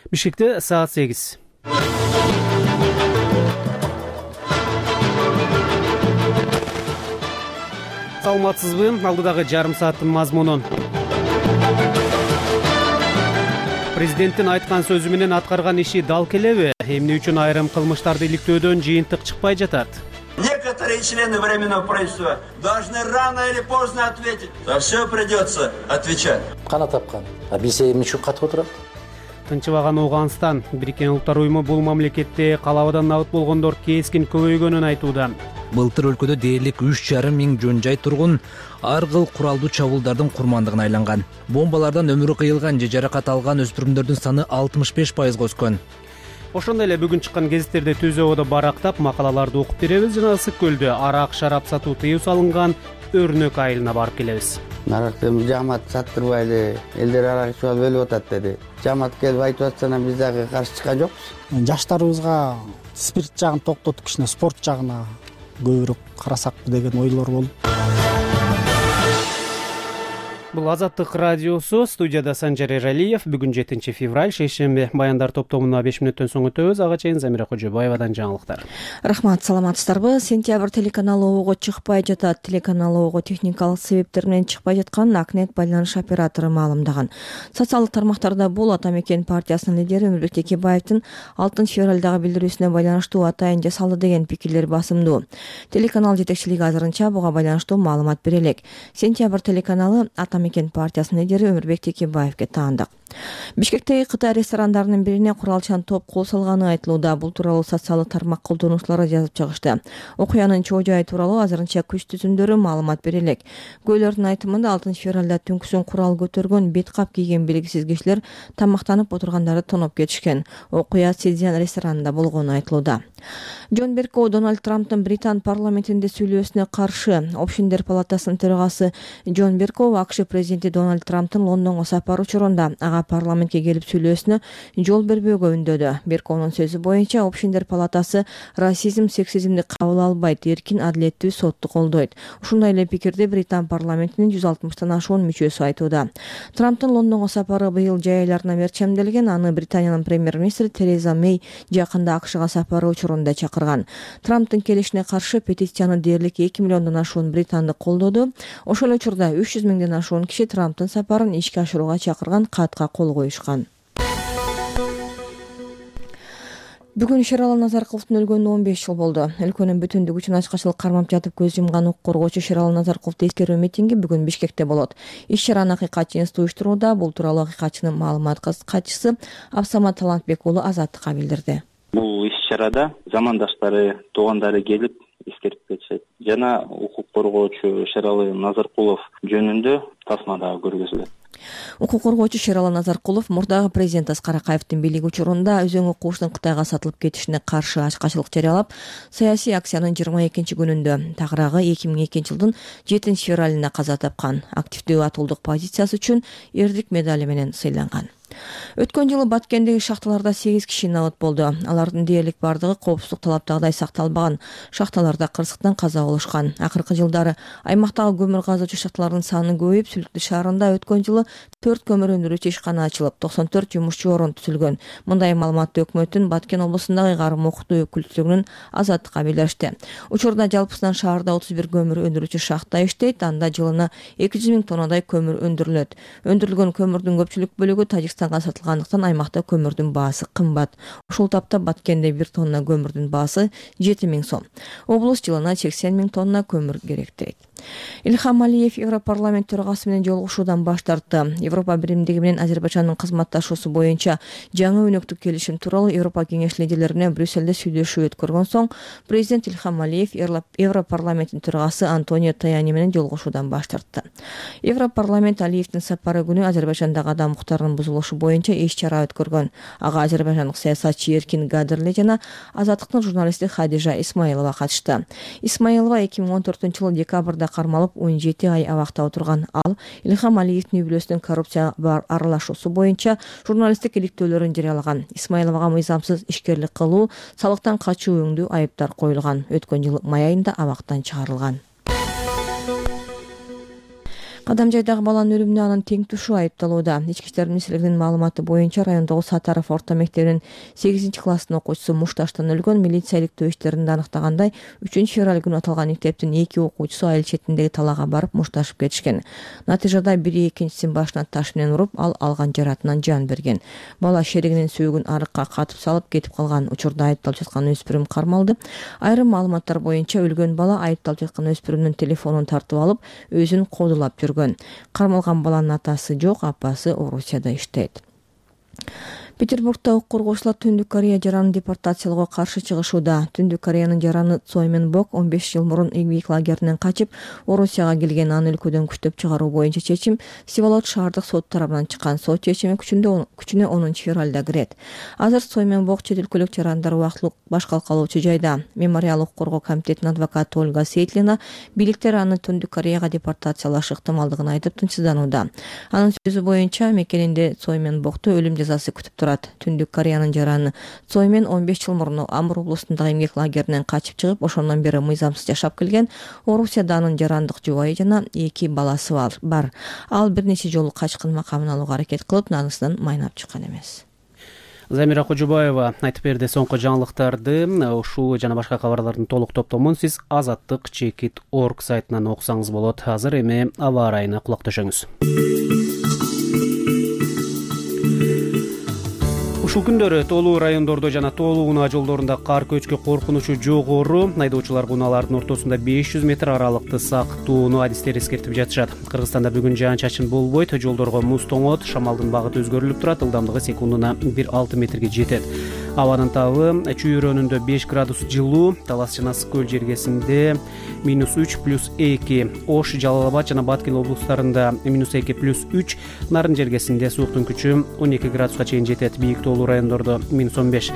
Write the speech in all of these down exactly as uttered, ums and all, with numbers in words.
Бишкекте саат сегиз. Саламатсызбы? Алдыдагы жарым сааттын мазмунун. Президенттин айткан сөзү менен аткарган иши дал келеби? Эмне үчүн айрым кылмыштарды иликтөөдөн жыйынтык чыкпай жатат? Некоторые члены Временного правительства должны рано или поздно ответить. За все придется отвечать. Кана тапкан. А биз эмне үчүн катып отурат? Тынчыбаган Ооганстан, Бириккен Улуттар уюму бул мамлекетте калабадан набыт болгондор кескин көбөйгөнүн айтууда. Былтыр өлкөдө дээрлик үч жарым миң жөн жай тургун ар кыл куралдуу чабуулдардын курмандыгына айланган. Бомбалардан өмүрү кыйылган же жаракат алган өспүрүмдөрдүн саны алтымыш беш пайызга өскөн. Ошондой эле бүгүн чыккан гезиттерде Түз абада барактап макалаларды окуп беребиз жана Ысык көлдө арак шарап сатуу тыюу салынган өрнөк айылына барып келебиз. Наракты жамаат саттырбайлы, элдер арак ичип алып өлүп атат деди. Жамаат келип айтып атса, биз дагы каршы чыккан жокпуз. Жаштарыбызга спирт жагын токтотуп, кичине спорт жагына көбүрөөк карасакпы деген ойлор болду. Бул Азаттык радиосу, студияда Санжар Эралиев. Бүгүн жетинчи февраль, шейшемби. Баяндар топтомуна беш мүнөттөн соң өтөбүз. Ага чейин Замира Кожобаевадан жаңылыктар. Рахмат, саламатсыздарбы? Сентябрь телеканалы ого чыкпай жатат. Телеканалы ого техникалык себептер менен чыкпай жатканын Акнет байланыш оператору маалымдаган. Социалдык тармактарда бул Ата Мекен партиясынын лидери Өмүрбек Текебаевдин алтынчы февралдагы билдирүүсүнө байланыштуу атайын жасалды деген пикирлер басымдуу. Телеканал жетекчилиги азырынча буга байланыштуу маалымат бере элек. Сентябрь телеканалы Ата Мекен партиясынын лидери Өмүрбек Текебаевге таандык. Бишкектеги Кытай ресторандарынын бирине куралчан топ кол салганы айтылууда. Бул тууралуу социалдык тармак колдонуучулары жазып чыгышты. Окуянын чоо жайы тууралуу азырынча күч түзүмдөрү маалымат бере элек. Көйлөрдүн айтымында алтынчы февралда түнкүсүн курал көтөргөн, бет кап кийген белгисиз кишилер тамактанып отургандарды тоноп кетишкен. Окуя Сидзян ресторанында болгону айтылууда. Джон Беркоу Дональд Трамптын Британ парламентинде сүйлөөсүнө каршы. Общиндер палатасынын төрагасы Джон Беркоу АКШ президенти Дональд Трамптын Лондонго сапары учурунда ага парламентке келип сүйлөөсүнө жол бербөөгө үндөдү. Беркоунун сөзү боюнча, Общиндер палатасы расизм, сексизмди кабыл албайт, эркин адилеттүү сотту колдойт. Ушундай эле пикирди Британ парламентинин жүз алтымыштан ашуун мүчөсү айтууда. Трамптын Лондонго сапары быйыл жай айларына мерчемделген. Аны Британиянын премьер-министри Тереза Мэй жакында АКШга сапары учурунда чакырган. Трамптын келишине каршы петицияны дээрлик эки миллиондон ашуун британдык колдоду. Ошол учурда үч жүз миңден ашуун киши Трамптын сапарын ишке ашырууга чакырган катка кол коюшкан. Бүгүн Шералы Назаркуловдун өлгөнүнө он беш жыл болду. Өлкөнүн бүтүндүгү үчүн ачкачылык кармап жатып көз жумган укук коргоочу Шералы Назаркуловду эскерүү митинги бүгүн Бишкекте болот. Иш-чараны Акыйкатчы институты уюштурууда. Бул тууралуу Акыйкатчынын маалымат катчысы Абсамат Талантбек уулу Азаттыкка билдирди. Бул иш-чарада замандаштары, туугандары келип эскерип кетишет. Жана укук коргоочу Шералы Назаркулов жөнүндө тасма дагы көргөзүлөт. Укук коргоочу Шералы Назаркулов мурдагы президент Аскар Акаевдин бийлиги учурунда өзүң укугучунун Кытайга сатылып кетишине каршы ачкачылык жарыялап, саясий акциянын жыйырма экинчи күнүндө, тагыраагы эки миң экинчи жылдын жетинчи февралында каза тапкан. Активдүү атуулдук позициясы үчүн Эрдик медали менен сыйланган. Өткөн жылы Баткендеги шахталарда сегиз киши набыт болду. Алардын дээрлик бардыгы коопсуздук талаптагыдай сакталбаган. Шахталарда кырсыктан каза болушкан. Акыркы жылдары аймактагы көмүр казуучу шахталардын саны көбөйүп, Сүлүктү шаарында өткөн жылы төрт көмүр өндүрүүчү ишкана ачылып, токсон төрт жумушчу орун түзүлгөн. Мындай маалыматты өкмөттүн Баткен облусундагы ыйгарым окутуу өкүлчүлүгүнүн Азаттыкка билдиришти. Учурда жалпысынан шаарда отуз бир көмүр өндүрүүчү шахта иштейт. Анда жылына эки жүз миң тоннадай көмүр өндүрүлөт. Өндүрүлгөн көмүрдүн көпчүлүк бөлүгү Тажикстанга сатылгандыктан аймакта көмүрдүн баасы кымбат. Ушул тапта Баткенде бир тонна көмүрдүн баасы жети миң сом. Облус жылына сексен миң тонна көмүр керектейт. Ильхам Алиев Европарламент төрагасы менен жолугушуудан баш тартты. Европа биримдиги менен Азербайжандын кызматташуусу боюнча жаңы өнөктүк келишим тууралуу Европа кеңеш лидерлерине Брюссельде сүйлөшүү өткөргөн соң, президент Ильхам Алиев Европарламенттин төрагасы Антонио Таяни менен жолугушуудан баш тартты. Европарламент Алиевдин сапары күнү Азербайжандагы адам укуктарынын бузулушу боюнча иш-чара өткөргөн. Ага азербайжандык саясатчы Эркин Гадырли жана Азаттыктын журналисти Хадижа Исмаилова катышты. Исмаилова эки миң он төртүнчү жылы декабрда кармалып он жети ай абакта отурган. Ал Ильхам Алиевдин үй-бүлөсүнүн коррупцияга аралашуусу боюнча журналисттик иликтөөлөрүн жарыялаган. Исмаиловага мыйзамсыз ишкерлик кылуу, салыктан качуу өңдүү айыптар коюлган. Өткөн жылы май айында абактан чыгарылган. Кадамжайдагы баланын өлүмүнө анын тең тушу айыпталууда. Ички иштер министрлигинин маалыматы боюнча райондогу Сатаров орто мектебинин сегизинчи класстын окуучусу мушташтан өлгөн. Милиция иликтөө иштеринде аныктагандай, үчүнчү февраль күнү аталган мектептин эки окуучусу айыл четиндеги талаага барып мушташып кетишкен. Натыйжада бири экинчисин башына таш менен уруп, ал алган жаратынан жан берген. Бала шеригинин сүйүгүн арыкка катып салып кетип калган. Учурда айыпталып жаткан өспүрүм кармалды. Айрым маалыматтар боюнча өлгөн бала айыпталып жаткан өспүрүмдүн телефонун тартып алып, өзүн кодулап жүргөн. Кармалган баланын атасы жок, апасы Орусияда иштейт. Петербургда укук коргоочулар Түндүк Корея жаранын депортациялоого каршы чыгышууда. Түндүк Кореянын жараны Цой Мен Бок он беш жыл мурун эмгек лагеринен качып, Орусияга келген. Аны өлкөдөн күчтөп чыгаруу боюнча чечим Сибалот шаардык сот тарабынан чыккан. Сот чечими күчүндө күчүнө онунчу февралда кирет. Азыр Цой Мен Бок чет өлкөлүк жарандар убактылык баш калкалоочу жайда. Мемориал укук коргоо комитетинин адвокаты Ольга Сейтлина бийликтер аны Түндүк Кореяга депортациялаш ыктымалдыгын айтып тынчсызданууда. Анын сөзү боюнча мекенинде Цой Мен Бокту өлүм жазасы күтүп турат. Түндүк Кореянын жараны Цой Мен он беш жыл мурун Амур облусундагы эмгек лагеринен качып чыгып, ошондон бери мыйзамсыз жашап келген. Орусияда анын жарандык жубайы жана эки баласы бар. Ал бир нече жолу качкын макамын алууга аракет кылып, нагыздан майнап чыккан эмес. Замира Кожобаева айтып берди соңку жаңылыктарды. Ушул жана башка кабарлардын толук топтомун сиз азаттык чекит точка орг сайтынан окусаңыз болот. Азыр эми аба ырайына кулак төшөңүз. Ушул күндөрү тоолуу райондордо жана тоолуу унаа жолдорунда кар көчкү коркунучу жогору. Айдоочулар унаалардын ортосунда беш жүз метр аралыкты сактоону адистер эскертип жатышат. Кыргызстанда бүгүн жаан-чачын болбойт, жолдорго муз тоңот, шамалдын багыты өзгөрүлүп турат, ылдамдыгы секундуна бир алты метрге жетет. Абанын табы чүйрөнүндө беш градус жылуу, Талас жана Ысык көл жергесинде минус үч плюс эки, Ош, Жалал Абад жана Баткен облустарында минус эки плюс үч, Нарын жергесинде сууктун күчү он эки градуска чейин жетет, бийик тоолуу райондордо минус он беш.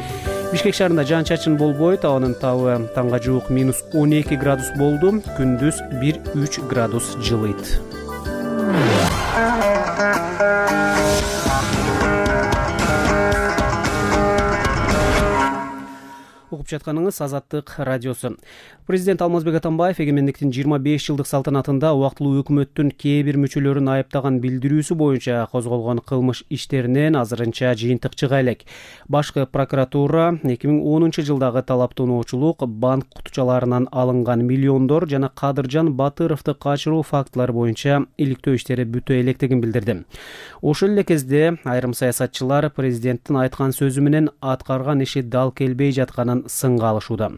Бишкек шаарында жаан-чачын болбойт, абанын табы таңга жуук минус он эки градус болду, күндүз бир үч градус жылыйт. Угуп жатканыңыз Азаттык радиосу. Президент Алмазбек Атамбаев эгемендиктин жыйырма беш жылдык салтанатында убактылуу өкмөттүн кээ бир мүчөлөрүн айыптаган билдирүүсү боюнча козголгон кылмыш иштеринен азырынча жыйынтык чыга элек. Башкы прокуратура эки миң онунчу жылдагы талаптануучулук, банк кутучаларынан алынган миллиондор жана Кадыржан Батыровду качыруу фактылары боюнча иликтөө иштери бүтө электигин билдирди. Ошол эле кезде айрым саясатчылар президенттин айткан сөзү менен аткарган иши дал келбей жатканын сынга алышууда.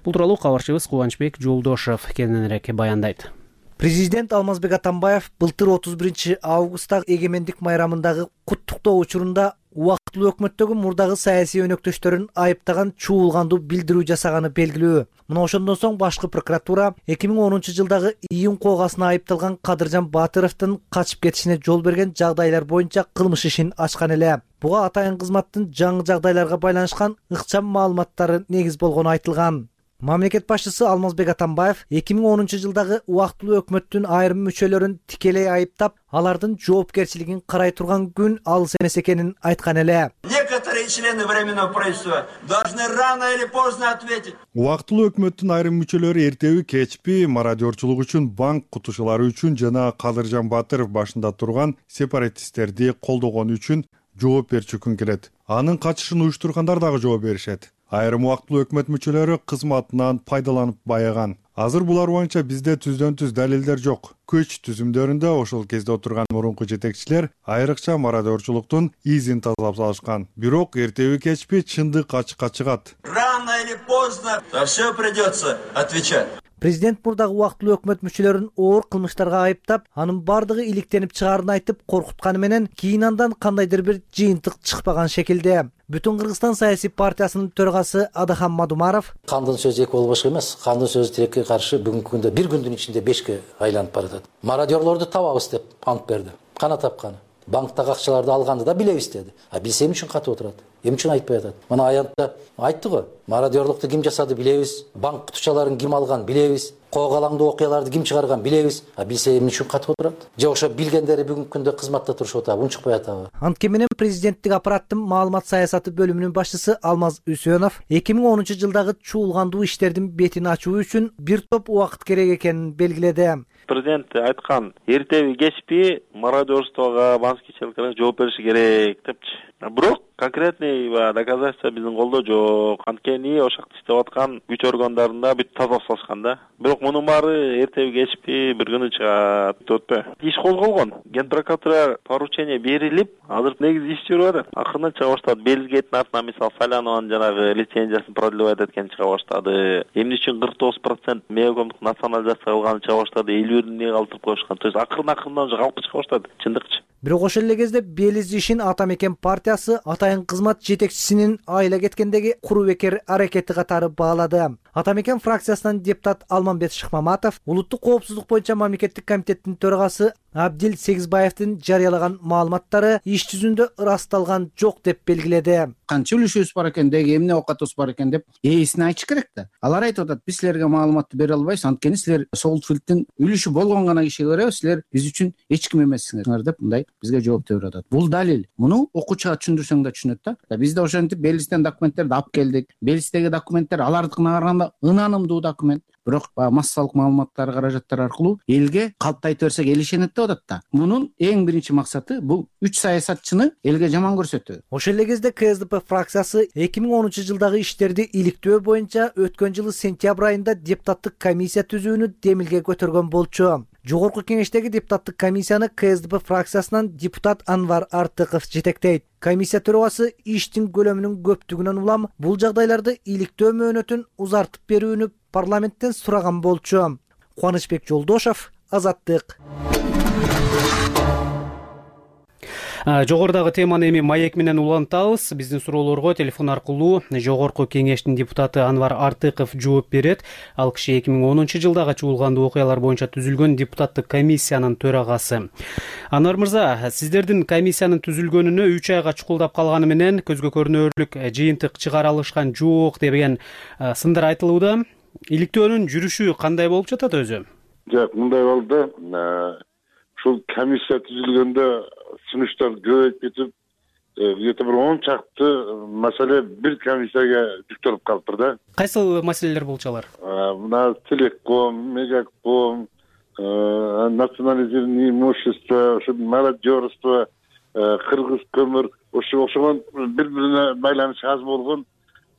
Бул тууралуу кабарчыбыз Кубанычбек Жолдошов кененирээк баяндайт. Президент Алмазбек Атамбаев былтыр отуз биринчи августтагы эгемендик майрамындагы куттуктоо учурунда убактылуу өкмөттөгү мурдагы саясий өнөктөштөрүн айыптаган чуулгандуу билдирүү жасаганы белгилүү. Мына ошондон соң башкы прокуратура эки миң онунчу жылдагы июнь коогасына айыпталган Кадыржан Батыровдун качып кетишине жол берген жагдайлар боюнча кылмыш ишин ачкан эле. Буга атайын кызматтын жаңы жагдайларга байланышкан ыкчам маалыматтары негиз болгону айтылган. Мамлекет башчысы Алмазбек Атамбаев эки миң онунчу жылдагы убактылуу өкмөттүн айрым мүчөлөрүн тикелей айыптап, алардын жоопкерчилигин карай турган күн алыс эмес экенин айткан эле. Некоторые члены временного правительства должны рано или поздно ответить. Убактылуу өкмөттүн айрым мүчөлөрү эртеби кечпи мародерчулук үчүн, банк кутушулары үчүн жана Кадыржан Батыров башында турган сепаратисттерди колдогон үчүн жооп берчү күн келет. Анын качышын уюштургандар дагы жооп беришет. Айрым убактылуу өкмөт мүчөлөрү кызматынан пайдаланып байыган. Азыр булар боюнча бизде түздөн түз далилдер жок. Көч түзүмдөрүндө ошол кезде отурган мурунку жетекчилер айрыкча мародерчулуктун изин тазалап салышкан. Бирок эртеби кечпи чындык ачыкка чыгат. Рано или поздно за все придется отвечать. Президент мурдагы убактылуу өкмөт мүчөлөрүн оор кылмыштарга айыптап, анын бардыгы иликтенип чыгаарын айтып коркутканы менен кийин андан кандайдыр бир жыйынтык чыкпаган шекилде. Бүтүн Кыргызстан саясий партиясынын төрагасы Адахан Мадумаров: Кандын сөзү эки болбош эмес, кандын сөзү тилекке каршы бүгүнкү күндө бир күндүн ичинде бешке айланып баратат. Мародерлорду табабыз деп ант берди. Кана тапканы. Банктагы акчаларды алганды да билебиз деди. А билсе эмне үчүн катып отурат? Эмне үчүн айтпай атат? Мына аянтта айтты го. Мародерлукту ким жасады билебиз. Банк кутучаларын ким алган билебиз. коогалаңдуу окуяларды ким чыгарган билебиз, а билсе эмне үчүн катып отурат? Же ошо билгендери бүгүнкү күндө кызматта турушуп атабы, унчукпай атабы? Антке менен президенттик аппараттын маалымат саясаты бөлүмүнүн башчысы Алмаз Үсөнов эки миң онунчу жылдагы чуулгандуу иштердин бетин ачуу үчүн бир топ убакыт керек экенин белгиледи. Президент айткан, эртеби кечпи мародерствого, банкичиликке жооп бериш керек депчи. Бирок конкретный доказательство биздин колдо жок. Анткени ошол жакта иштеп аткан күч органдарында бүт таза салышкан да. Бирок мунун баары эртеби кечпи бир күнү чыгат, өтпө. Иш козголгон. Генпрокуратурага поручение берилип, азыр негизи иш жүрүп атат. Акырынан чыга баштады. Белгетин артынан мисалы Салянованын жанагы лицензиясын продлевать эткени чыга баштады. Эмне үчүн кырк тогуз процент Мегакомдук национализация кылганы чыга баштады. элүү бирин эмне калтырып коюшкан. То есть акырын-акырынан уже калкып чыга баштады. Чындыкчы. Бирок ошол эле кезде Белиз ишин Ата Мекен партиясы атайын кызмат жетекчисинин айыла кеткендеги курубекер аракети катары баалады. Ата Мекен фракциясынан депутат Алмамбет Шыкмаматов улуттук коопсуздук боюнча мамлекеттик комитеттин төрагасы Абдил Сегизбаевдин жарыялаган маалыматтары иш жүзүндө ырасталган жок деп белгиледи. Канча үлүшүбүз бар экен, деги эмне оокатыбыз бар экен деп ээсине айтыш керек да. Алар айтып атат, биз силерге маалыматты бере албайбыз, анткени силер Солтфилдтин үлүшү болгон гана кишиге беребиз, силер биз үчүн эч ким эмессиңер деп мындай бизге жооп берип атат. Бул далил. Муну окуучуга түшүндүрсөң да түшүнөт да. Биз да ошентип Белистен документтерди алып келдик. Белистеги документтер алардыкына караганда ынанымдуу документ. Бирок массалык маалыматтар каражаттар аркылуу элге калпты берсек эл ишенет деп атат да. Мунун эң биринчи максаты бул үч саясатчыны элге жаман көрсөтүү. Ошол эле кезде КСДП фракциясы эки миң онунчу жылдагы иштерди иликтөө боюнча өткөн жылы сентябрь айында депутаттык комиссия түзүүнү демилге көтөргөн болчу. Жогорку кеңештеги депутаттык комиссияны КСДП фракциясынан депутат Анвар Артыков жетектейт. Комиссия төрагасы иштин көлөмүнүн көптүгүнөн улам бул жагдайларды иликтөө мөөнөтүн узартып берүүнү парламенттен сураган болчу. Кубанычбек Жолдошов, Азаттык. Жогорудагы теманы эми маек менен улантабыз. Биздин суроолорго телефон аркылуу Жогорку кеңештин депутаты Анвар Артыков жооп берет. Ал киши эки миң онунчу жылдагы чуулгандуу окуялар боюнча түзүлгөн депутаттык комиссиянын төрагасы. Анвар мырза, сиздердин комиссиянын түзүлгөнүнө үч айга чукулдап калганы менен көзгө көрүнөрлүк жыйынтык чыгара алышкан жок деген сындар айтылууда. Иликтөөнүн жүрүшү кандай болуп жатат өзү? Жок, мындай болду. Ушул комиссия түзүлгөндө сунуштар көбөйүп кетип, где-то бир он чакты маселе бир комиссияга жүктөлүп калыптыр да. Кайсыл маселелер болчу алар? Мына Телеком, Мегаком, национализированное имущество, ошо мародерство, Кыргыз көмүр, ошо ошого бири-бирине байланышы аз болгон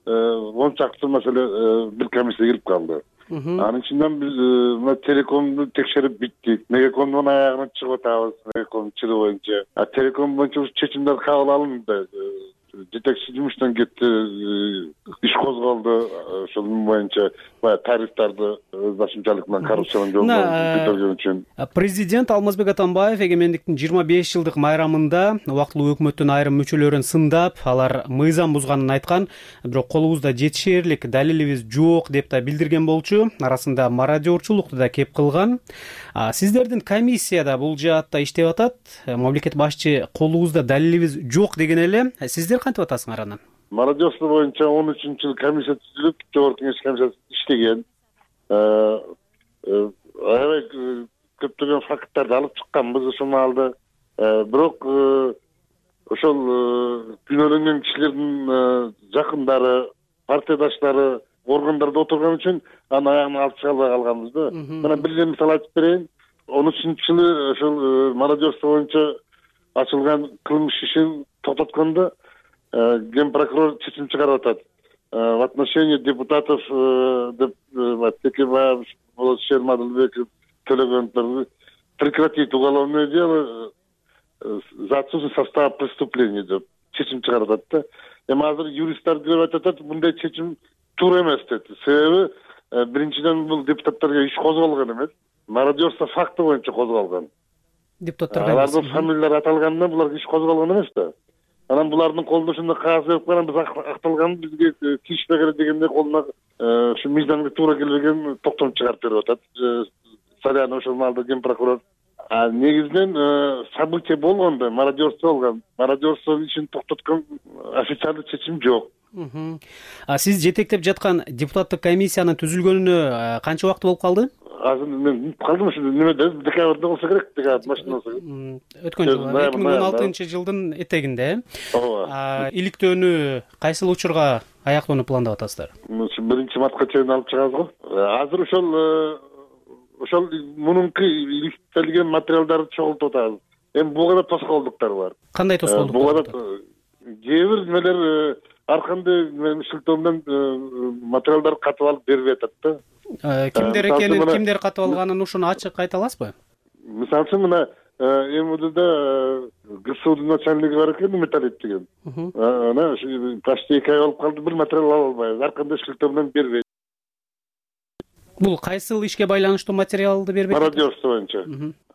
он чакты маселе бир комиссияга кирип калды. Анын ичинен биз мына Телекомду текшерип биттик. Мегакомдун аягына чыгып атабыз, Мегаком чыгуу боюнча. А Телеком боюнча чечимдер кабыл алынды. Жетекчи жумуштан кетти, иш козголду. Ошол боюнча баягы тарифтарды өз башымчалык менен коррупциянын жолунан бүтөргөн үчүн. Президент Алмазбек Атамбаев эгемендиктин жыйырма беш жылдык майрамында убактылуу өкмөттүн айрым мүчөлөрүн сындап, алар мыйзам бузганын айткан, бирок колубузда жетишерлик далилибиз жок деп да билдирген болчу. Арасында мародерчулукту да кеп кылган. Сиздердин комиссияда бул жаатта иштеп атат. Мамлекет башчы колубузда далилибиз жок деген эле. Сиздер кантип атасыңар анан? Мародерство боюнча он үчүнчү жылы комиссия түзүлүп, Жогорку кеңеш комиссиясы иштеген. Аябай көптөгөн факттарды алып чыкканбыз ошол маалда. Бирок ошол күнөөлөнгөн кишилердин жакындары, партиядаштары органдарда отурган үчүн анын аягына алып чыга албай калганбыз да. Мына бир эле мисал айтып берейин. он үчүнчү жылы ошол мародерство боюнча ачылган кылмыш ишин токтоткондо Генпрокурор чечим чыгарып атат. В отношении депутатов Текебаев, Шерма Адылбеков, Төлөгөновдор прекратить уголовное дело за отсутствие состава преступления деп чечим чыгарып атат да. Эми азыр юристтер деп атат, мындай чечим туура эмес дейт. Себеби биринчиден бул депутаттарга иш козголгон эмес, мародерство факты боюнча козголгон. Депутаттарга алардын фамилиялары аталганда буларга иш козголгон эмес да. Анан булардын колуна ушундай кагаз берип койгон, биз акталган бизге тийишпей керек дегенде колуна ушу мыйзамга туура келбеген токтом чыгарып берип атат. Салянов ошол маалда Генпрокурор. А негизинен событие болгондо, мародерство болгон. Мародерство ишин токтоткон официалдык чечим жок. А сиз жетектеп жаткан депутаттык комиссиянын түзүлгөнүнө канча убакыт болуп калды? азыр мен унутуп калдым ушу неме деди, декабрда болсо керек, декабрь машина болсо керек. Өткөн жылы эки миң он алтынчы жылдын этегинде. Ооба. Иликтөөнү кайсыл учурга аяктоону пландап атасыздар? Биринчи мартка чейин алып чыгабыз го. Азыр ошол ошол мунунку иликтелген материалдарды чогултуп атабыз. Эми буга да тоскоолдуктар бар. Кандай тоскоолдуктар? Буга да кээ бир немелер ар кандай шылтоо менен материалдарды катып алып бербей атат да. Кимдер экенин, кимдер катып алганын ушуну ачык айта аласызбы? Мисалы үчүн мына МУДда ГСУдун начальниги бар экен, Металлит деген. Ана почти эки ай болуп калды, бир материал ала албайбыз, ар кандай шылтоо менен бербейт. Бул кайсыл ишке байланыштуу материалды бербейт? Мародерство боюнча.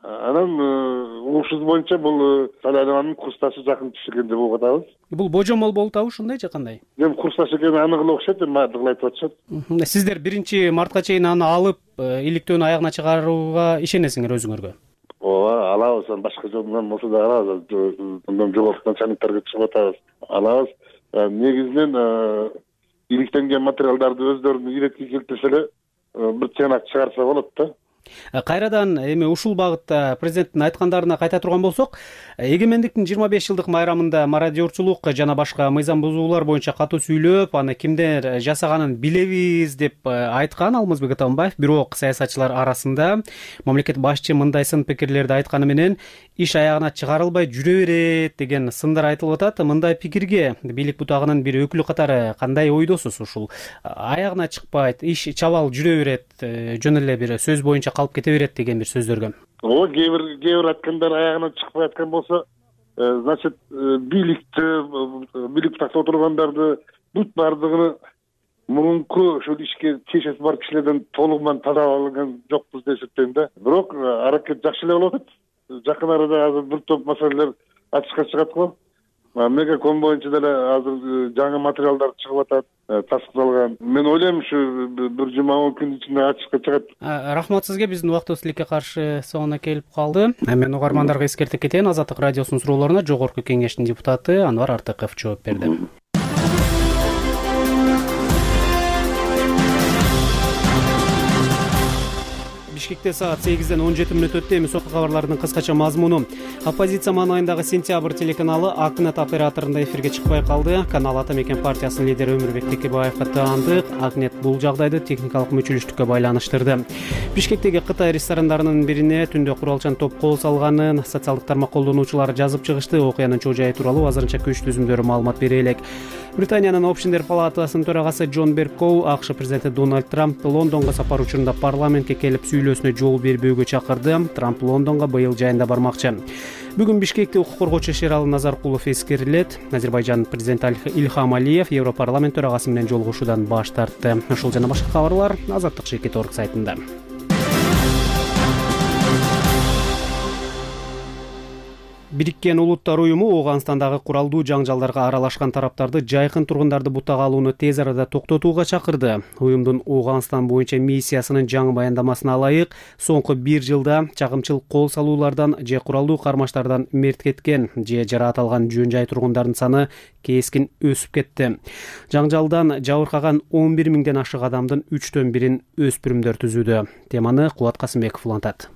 Анан угушубуз боюнча бул Салянованын курсташы жакын түшүргөн деп угуп атабыз. Бул божомол болуп атабы, ушундай же кандай? Эми курсташ экени анык эле окшойт, эми баардыгы айтып атышат. Сиздер биринчи мартка чейин аны алып, иликтөөнү аягына чыгарууга ишенесиңер өзүңөргө? Ооба, алабыз. Башка жол менен болсо да алабыз. Мындан жогорку начальниктарга чыгып атабыз. Алабыз. Негизинен иликтенген материалдарды өздөрүнүн иретке келтирсе эле бир чыганак чыгарса болот да. Кайрадан эми ушул багытта президенттин айткандарына кайта турган болсок, эгемендиктин жыйырма беш жылдык майрамында мародерчулук жана башка мыйзам бузуулар боюнча катуу сүйлөп, аны кимдер жасаганын билебиз деп айткан Алмазбек Атамбаев. Бирок саясатчылар арасында мамлекет башчы мындай сын пикирлерди айтканы менен иш аягына чыгарылбай жүрө берет деген сындар айтылып атат. Мындай пикирге бийлик бутагынын бир өкүлү катары кандай ойдосуз? Ушул аягына чыкпайт, иш чабал жүрө берет, жөн эле бир сөз боюнча калып кете берет деген бир сөздөргө. Ооба, кээ бир кээ бир айткандар аягына чыкпай аткан болсо, значит, бийликти, бийлик тактап отургандарды бүт баардыгын мурунку ошол ишке тиешеси бар кишилерден толугу менен тазалап алган жокпуз деп эсептейм да. Бирок аракет жакшы эле болуп атат. Жакын арада азыр бир топ маселелер ачыкка чыгат го. Мегаком боюнча деле азыр жаңы материалдар чыгып атат, тастыкталган. Мен ойлойм ушу бир жума он күн ичинде ачыкка чыгат. Рахмат сизге, биздин убактыбыз тилекке каршы соңуна келип калды. Мен угармандарга эскертип кетейин, Азаттык радиосунун суроолоруна Жогорку Кеңештин депутаты Анвар Артыков жооп берди. Бишкекте саат сегизден он жети мүнөт өттү. Эми соңку кабарлардын кыскача мазмуну. Оппозиция маанайындагы Сентябрь телеканалы Акнет операторунда эфирге чыкпай калды. Канал Ата Мекен партиясынын лидери Өмүрбек Текебаевга таандык. Акнет бул жагдайды техникалык мүчүлүштүккө байланыштырды. Бишкектеги Кытай ресторандарынын бирине түндө куралчан топ кол салганын социалдык тармак колдонуучулары жазып чыгышты. Окуянын чоо жайы тууралуу азырынча көч түзүмдөрү маалымат бере элек. Британиянын Общиндер палатасынын төрагасы Джон Беркоу АКШ президенти Дональд Трампты Лондонго сапар учурунда парламентке келип сүйлөөсүнө жол бербөөгө чакырды. Трамп Лондонго быйыл жайында бармакчы. Бүгүн Бишкекте укук коргоочу Шералы Назаркулов эскерилет. Азербайжандын президенти Ильхам Алиев Европарламент төрагасы менен жолугушуудан баш тартты. Ушул жана башка кабарлар азаттык чекит точка орг сайтында. Бириккен Улуттар уюму Ооганстандагы куралдуу жаңжалдарга аралашкан тараптарды жайкын тургундарды бутага алууну тез арада токтотууга чакырды. Уюмдун Ооганстан боюнча миссиясынын жаңы баяндамасына ылайык, соңку бир жылда чагымчыл кол салуулардан же куралдуу кармаштардан мерт кеткен же жараат алган жөн жай тургундардын саны кескин өсүп кетти. Жаңжалдан жабыркаган он бир миңден ашык адамдын үчтөн бирин өспүрүмдөр түзүүдө. Теманы Кубат Касымбеков улантат.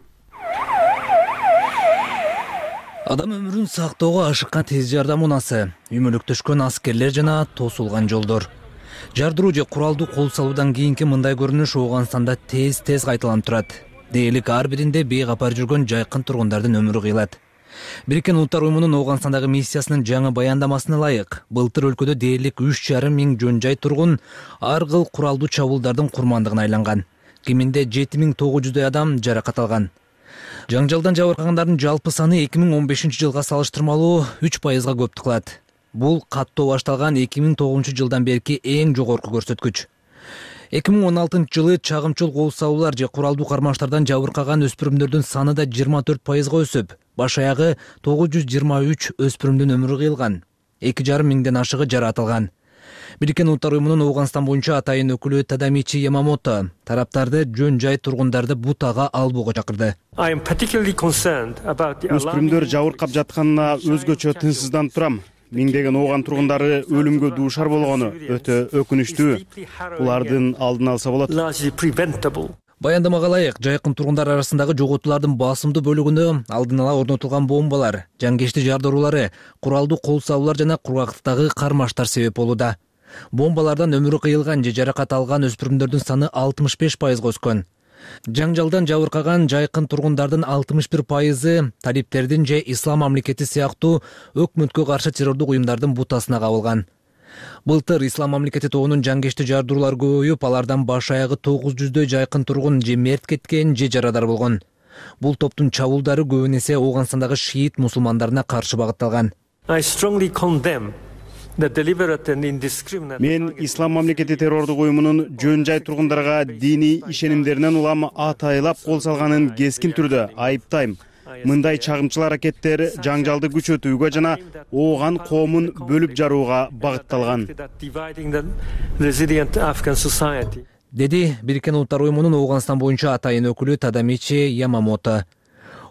Адам өмүрүн сактоого ашыккан тез жардам унасы, үймөлөктөшкөн аскерлер жана тосулган жолдор. Жардыруу же куралдуу кол салуудан кийинки мындай көрүнүш Ооганстанда тез-тез кайталанып турат. Дээрлик ар биринде бейкапар жүргөн жайкын тургундардын өмүрү кыйлат. Бириккен Улуттар уюмунун Ооганстандагы миссиясынын жаңы баяндамасына ылайык, былтыр өлкөдө дээрлик үч жарым миң жөн жай тургун ар кыл куралдуу чабуулдардын курмандыгына айланган. Киминде жети миң тогуз жүздөй адам жаракат алган. Жаңжалдан жабыркагандардын жалпы саны эки миң он бешинчи жылга салыштырмалуу үч пайызга көптүк кылат. Бул каттоо башталган эки миң тогузунчу жылдан берки эң жогорку көрсөткүч. эки миң он алтынчы жылы чагымчыл кол салуулар же куралдуу кармаштардан жабыркаган өспүрүмдөрдүн саны да жыйырма төрт пайызга өсүп, баш аягы тогуз жүз жыйырма үч өспүрүмдүн өмүрү кыйылган. эки жарым миңден ашыгы жараат алган. Бириккен Улуттар уюмунун Ооганстан боюнча атайын өкүлү Тадамичи Ямамото тараптарды жөн жай тургундарды бутага албоого чакырды. Өспүрүмдөр жабыркап жатканына өзгөчө тынчсызданып турам. Миңдеген ооган тургундары өлүмгө дуушар болгону өтө өкүнүчтүү. Булардын алдын алса болот. Баяндамага ылайык, жайкын тургундар арасындагы жоготуулардын басымдуу бөлүгүндө алдын ала орнотулган бомбалар, жангечти жардыруулары, куралдуу кол салуулар жана кургактыктагы кармаштар себеп болууда. Бомбалардан өмүрү кыйылган же жаракат алган өспүрүмдөрдүн саны алтымыш беш пайызга өскөн. Жаңжалдан жабыркаган жайкын тургундардын алтымыш бир пайызы талиптердин же ислам мамлекети сыяктуу өкмөткө каршы террордук уюмдардын бутасына кабылган. Былтыр ислам мамлекети тобунун жангечти жардыруулар көбөйүп, алардан баш аягы тогуз жүздөй жайкын тургун же мерт кеткен же жарадар болгон. Бул топтун чабуулдары көбүнесе Ооганстандагы шиит мусулмандарына каршы багытталган. Мен ислам мамлекети террордук уюмунун жөн жай тургундарга диний ишенимдеринен улам атайлап кол салганын кескин түрдө айыптайм. Мындай чагымчыл аракеттер жаңжалды күчөтүүгө жана Ооган коомун бөлүп жарууга багытталган, деди Бириккен Улуттар уюмунун Ооганстан боюнча атайын өкүлү Тадамичи Ямамото.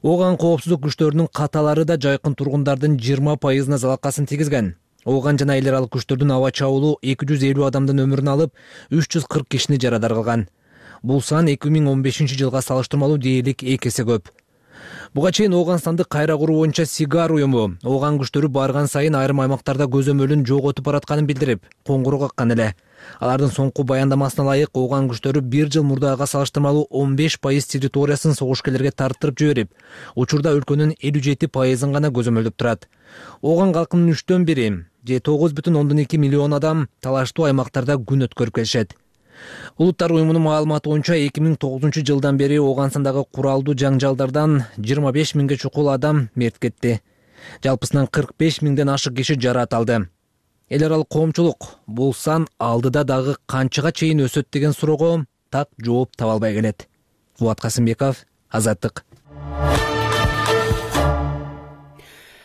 Ооган коопсуздук күчтөрүнүн каталары да жайкын тургундардын жыйырма пайызына залакасын тийгизген. Ооган жана эл аралык күчтөрдүн аба чабуулу эки жүз элүү адамдын өмүрүн алып, үч жүз кырк кишини жарадар кылган. Бул сан эки миң он бешинчи жылга салыштырмалуу дээрлик эки эсе көп. Буга чейин Ооганстанды кайра куруу боюнча Сигар уюму Ооган күчтөрү барган сайын айрым аймактарда көзөмөлүн жоготуп баратканын билдирип, коңгуроо каккан эле. Алардын соңку баяндамасына ылайык, Ооган күчтөрү бир жыл мурдага салыштырмалуу он беш пайыз территориясын согушкерлерге тарттырып жиберип, учурда өлкөнүн элүү жети пайызын гана көзөмөлдөп турат. Ооган калкынын үчтөн бири же тогуз бүтүн ондон эки миллион адам талаштуу аймактарда күн өткөрүп келишет. Улуттар уюмунун маалыматы боюнча эки миң тогузунчу жылдан бери Ооганстандагы куралдуу жаңжалдардан жыйырма беш миңге чукул адам мерт кетти. Жалпысынан кырк беш миңден ашык киши жараат алды. Эл аралык коомчулук бул сан алдыда дагы канчага чейин өсөт деген суроого так жооп таба албай келет. Фуат Касымбеков, Азаттык.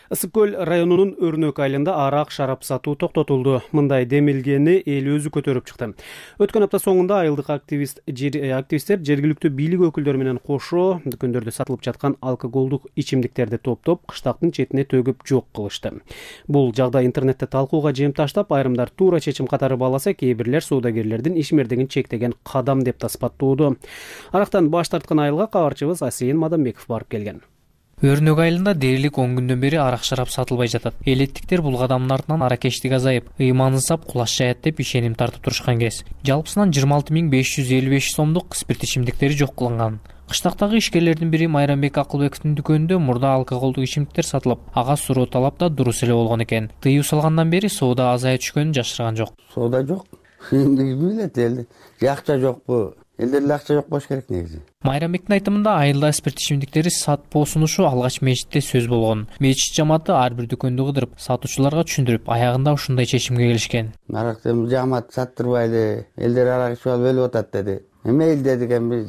Ысык көл районунун Өрнөк айылында арак шарап сатуу токтотулду. Мындай демилгени эл өзү көтөрүп чыкты. Өткөн апта соңунда айылдык активист активисттер жергиликтүү бийлик өкүлдөрү менен кошо дүкөндөрдө сатылып жаткан алкоголдук ичимдиктерди топтоп кыштактын четине төгүп жок кылышты. Бул жагдай интернетте талкууга жем таштап, айрымдар туура чечим катары бааласа, кээ бирлер соодагерлердин ишмердигин чектеген кадам деп таспаттоодо. Арактан баш тарткан айылга кабарчыбыз Асейин Мадамбеков барып келген. Өрнөк айылында дээрлик он күндөн бери арак шарап сатылбай жатат. Элеттиктер бул кадамдын артынан аракечтик азайып, ыйманы сап кулаш жаят деп ишеним тартып турушкан кез. Жалпысынан жыйырма алты миң беш жүз элүү беш сомдук спирт ичимдиктери жок кылынган. Кыштактагы ишкерлердин бири Майрамбек Акылбековдун дүкөнүндө мурда алкоголдук ичимдиктер сатылып, ага суроо талап да дурус эле болгон экен. Тыюу салгандан бери соода азая түшкөнүн жашырган жок. Соода жок. Ким билет элди. Акча жокпу? Элдерде акча жок болуш керек негизи. Майрамбектин айтымында айылда спирт ичимдиктери сатпоо сунушу алгач мечитте сөз болгон. Мечит жамааты ар бир дүкөндү кыдырып, сатуучуларга түшүндүрүп, аягында ушундай чечимге келишкен. Аракты жамаат саттырбайлы, элдер арак ичип алып өлүп атат деди. Эме эл дедик, эми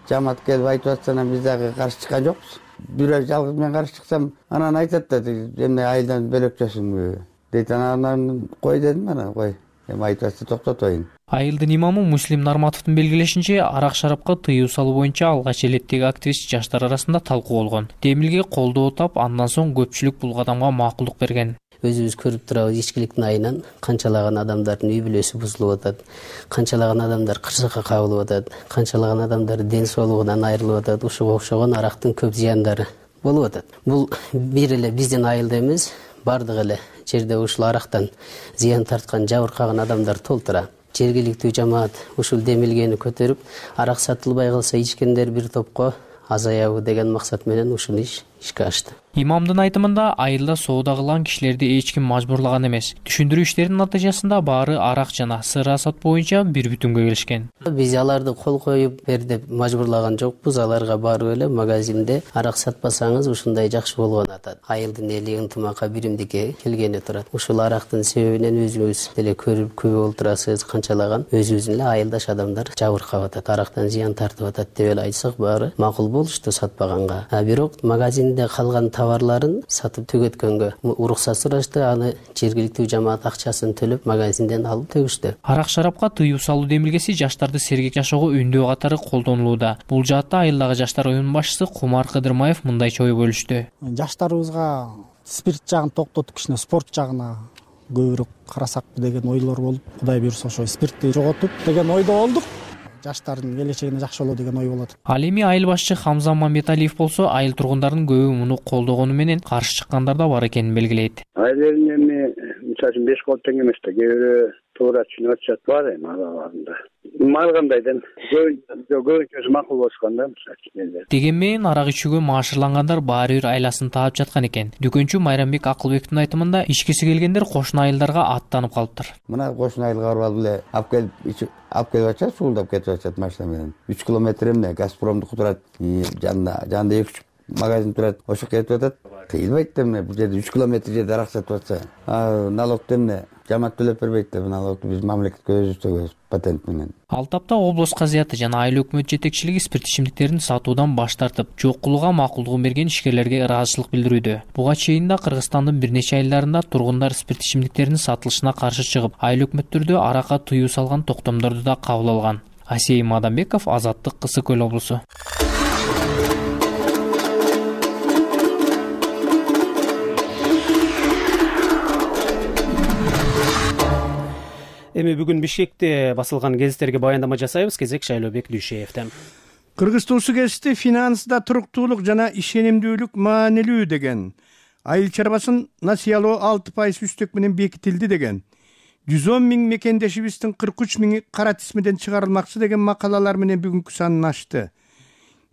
жамаат келип айтып атсана биз дагы каршы чыккан жокпуз. Бир ай жалгыз мен каршы чыксам, анан айтат да, эмне айылдан бөлөкчөсүңбү дейт. Анан кой дедим, анан кой. Эми айтып атса токтотоюн. Айылдын имамы Муслим Нарматовдун белгилешинче, арак шарапка тыюу салуу боюнча алгач элеттеги активист жаштар арасында талкуу болгон. Демилге колдоо тап, андан соң көпчүлүк бул кадамга макулдук берген. Өзүбүз көрүп турабыз, ичкиликтин айынан канчалаган адамдардын үй бүлөсү бузулуп атат, канчалаган адамдар кырсыкка кабылып атат, канчалаган адамдар ден соолугунан айрылып атат. Ушуга окшогон арактын көп зыяндары болуп атат. Бул бир эле биздин айылда эмес, бардык эле жерде ушул арактан зыян тарткан, жабыркаган адамдар толтура. Жергиликтүү жамаат ушул демилгени көтөрүп, арак сатылбай калса ичкендер бир топко азаябы деген максат менен ушул иш ишке ашты. Имамдын айтымында, айылда соода кылган кишилерди эч ким мажбурлаган эмес. Түшүндүрүү иштеринин натыйжасында баары арак жана сыра сат боюнча бир бүтүнгө келишкен. Биз аларды кол коюп бер деп мажбурлаган жокпуз. Аларга барып эле магазинде арак сатпасаңыз ушундай жакшы болгон атат. Айылдын эли ынтымакка биримдикке келгени турат. Ушул арактын себебинен өзүңүз деле көрүп күбө болуп турасыз, канчалаган өзүбүздүн эле айылдаш адамдар жабыркап атат, арактан зыян тартып атат деп эле айтсак, баары макул болушту сатпаганга. А бирок магазинде калган товарларын сатып түгөткөнгө уруксат сурашты, аны жергиликтүү жамаат акчасын төлөп магазинден алып төгүштү. Арак шарапка тыюу салуу демилгеси жаштарды сергек жашоого үндөө катары колдонулууда. Бул жаатта айылдагы жаштар уюмунун башчысы Кумар Кыдырмаев мындайча ой бөлүштү. Жаштарыбызга спирт жагын токтотуп, кичине спорт жагына көбүрөөк карасакпы деген ойлор болуп, Кудай буйрса ошо спиртти жоготуп деген ойдо болдук. жаштардын келечегине жакшы болот деген ой болот. Ал эми айыл башчы Хамза Мамбеталиев болсо айыл тургундарын көбү муну колдогону менен каршы чыккандар да бар экенин белгилейт. Айылдын эми мисалы үчүн беш кол тең эмес да, кээ бирөө туура түшүнүп атышат бар эми араларында. Ар кандайдан көбүнчөсү макул болушкан да мисалы үчүн. Дегенмен арак ичүүгө маашырлангандар баары бир айласын таап жаткан экен. Дүкөнчү Майрамбек Акылбектин айтымында ичкиси келгендер кошуна айылдарга аттанып калыптыр. Мына кошуна айылга барып эле алып келип алып келип атышат, суулдап кетип атышат машина менен. үч километр эмне Газпромдуку турат, жанында жанында эки үч магазин турат, ошо кетип атат. Кыйылбайт да эмне, бул жерде үч километр жерде арак сатып атса, налогду эмне жамаат төлөп бербейт да, налогду биз мамлекетке өзүбүз төлөйбүз патент менен. Ал тапта облус казыяты жана айыл өкмөт жетекчилиги спирт ичимдиктерин сатуудан баш тартып, жок кылууга макулдугун берген ишкерлерге ыраазычылык билдирүүдө. Буга чейин да Кыргызстандын бир нече айылдарында тургундар спирт ичимдиктеринин сатылышына каршы чыгып, айыл өкмөттөрдө аракка тыюу салган токтомдорду да кабыл алган. Асей Мадамбеков, Азаттык, Кысык Көл облусу. Эми бүгүн Бишкекте басылган гезиттерге баяндама жасайбыз. Кезек Шайлообек Дүйшеевден. Кыргыз туусу кесипти финансда туруктуулук жана ишенимдүүлүк маанилүү деген. Айыл чарбасын насыялоо алты пайыз үстөк менен бекитилди деген. жүз он миң мекендешибиздин кырк үч миңи кара тизмеден чыгарылмакчы деген макалалар менен бүгүнкү санын ачты.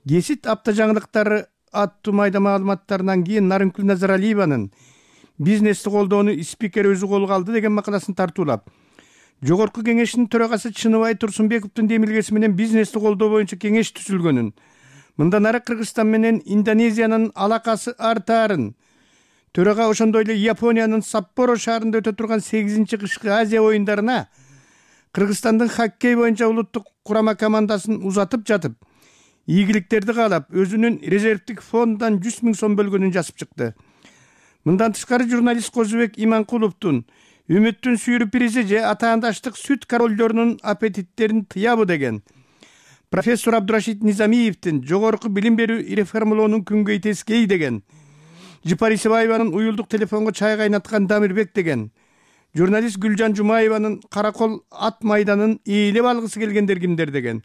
Гезит апта жаңылыктары аттуу майда маалыматтарынан кийин Нарынкүл Назаралиеванын бизнести колдоону спикер өзү колго алды деген макаласын тартуулап, Жогорку кеңештин төрагасы Чыныбай Турсунбековдун демилгеси менен бизнести колдоо боюнча кеңеш түзүлгөнүн, мындан ары Кыргызстан менен Индонезиянын алакасы артаарын, төрага ошондой эле Япониянын Саппоро шаарында өтө турган сегизинчи кышкы Азия оюндарына Кыргызстандын хоккей боюнча улуттук курама командасын узатып жатып, ийгиликтерди каалап, өзүнүн резервдик фондунан жүз миң сом бөлгөнүн жазып чыкты. Мындан тышкары журналист Козубек Иманкуловдун Үмүттүн сүйрүпиризи же атаандаштык сүт королдорунун аппетиттерин тыябы деген. Профессор Абдурашид Низамиевдин жогорку билим берүү реформалоонун күнгөй тескей деген. Жыпар Исебаеванын уюлдук телефонго чай кайнаткан Дамирбек деген. Журналист Гүлжан Жумаеванын каракол ат майданын ээлеп алгысы келгендер кимдер деген.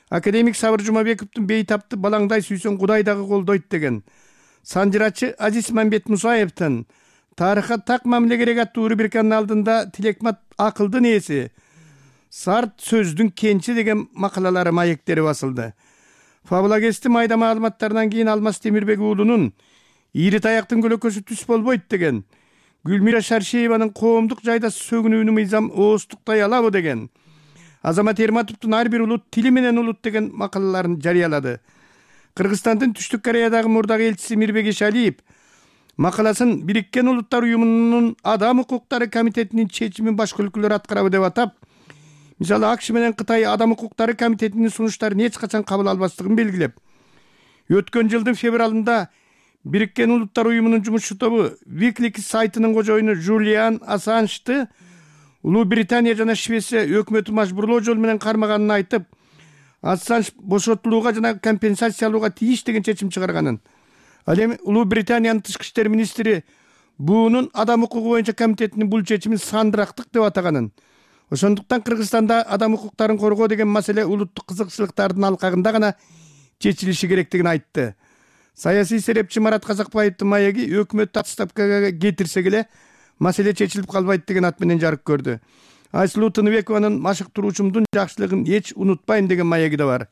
Академик Сабыр Жумабековдун бейтапты балаңдай сүйсөң Кудай дагы колдойт деген. Санжырачы Азиз Мамбет Мусаевдин тарыхка так мамиле керек аттуу рубриканын алдында Тилекмат акылдын ээси, Сарт сөздүн кенчи деген макалалары маектери басылды. Фабулагести майда маалыматтарынан кийин Алмаз Темирбек уулунун Ири таяктын көлөкөсү түс болбойт деген. Гүлмира Шаршееванын коомдук жайда сөгүнүүнү мыйзам оостуктай алабы деген. Азамат Эрматовдун ар бир улут тили менен улут деген макалаларын жарыялады. Кыргызстандын Түштүк Кореядагы мурдагы элчиси Мирбек Ишалиев макаласын Бириккен Улуттар уюмунун Адам укуктары комитетинин чечимин башка өлкөлөр аткарабы деп атап, мисалы АКШ менен Кытай Адам укуктары комитетинин сунуштарын эч качан кабыл албастыгын белгилеп, өткөн жылдын февралында Бириккен Улуттар уюмунун жумушчу тобу Wikileaks сайтынын кожоюну Жулиан Ассанжды Улуу Британия жана Швеция өкмөтү мажбурлоо жол менен кармаганын айтып, Ассанж бошотулууга жана компенсациялууга тийиш деген чечим чыгарганын. Ал эми Улуу Британиянын тышкы иштер министри буунун адам укугу боюнча комитетинин бул чечимин сандырактык деп атаганын. Ошондуктан Кыргызстанда адам укуктарын коргоо деген маселе улуттук кызыкчылыктардын алкагында гана чечилиши керектигин айтты. Саясий серепчи Марат Казакбаевдин маеги өкмөттү отставкага кетирсек эле маселе чечилип калбайт деген ат менен жарык көрдү. Айсулуу Тыныбекованын машыктыруучумдун жакшылыгын эч унутпайм деген маеги да бар.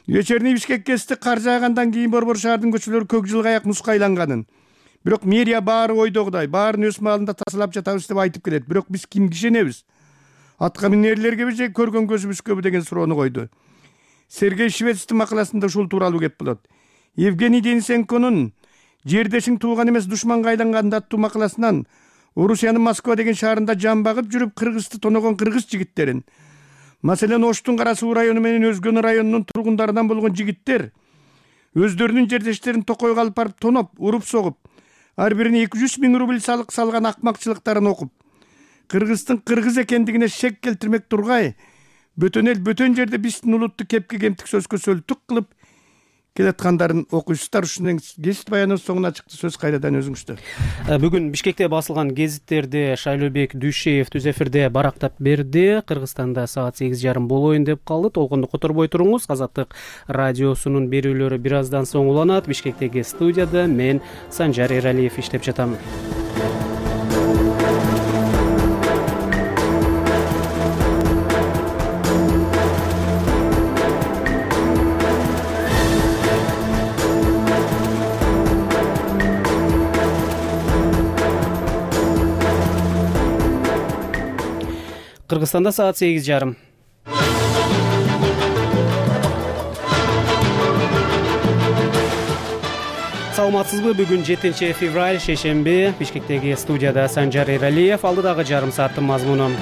Вечерний Бишкек кести кар жаагандан кийин Борбор шаардын көчөлөрү көк жылгаяк муска айланганын. Бирок мэрия баары ойдогудай, баарын өз маалында тазалап жатабыз деп айтып келет. Бирок биз кимге ишенебиз? Атка минерлергеби же көргөн көзүбүзгөбү деген суроону койду. Сергей Швецтин макаласында ушул тууралуу кеп болот. Евгений Денисенконун жердешиң тууган эмес душманга айланган аттуу макаласынан Орусиянын Москва деген шаарында жан багып жүрүп кыргызды тоногон кыргыз жигиттерин, маселен Оштун Кара Суу району менен Өзгөн районунун тургундарынан болгон жигиттер өздөрүнүн жердештерин Токойго алып барып тоноп, уруп согуп, ар бирине эки жүз миң рубль салык салган акмакчылыктарын окуп, кыргыздын кыргыз экендигине шек келтирмек тургай, бөтөн эл бөтөн жерде биздин улутту кепке кемтик сөзгө сөлтүк кылып келаткандарын окуйсуздар. Ушунун гезит баянынын соңуна чыкты. Сөз кайрадан өзүңүздө. Бүгүн Бишкекте басылган гезиттерди Шайлообек Дүйшеев түз эфирде барактап берди. Кыргызстанда саат сегиз жарым болоюн деп калды. Толкунду которбой туруңуз. Азаттык радиосунун берүүлөрү бир аздан соң уланат. Бишкектеги студияда мен Санжар Эралиев иштеп жатам. Кыргызстанда саат сегиз жарым. Саламатсызбы? Бүгүн жетинчи февраль шейшемби. Бишкектеги студияда Санжар Эралиев. Алдыдагы жарым сааттын мазмуну.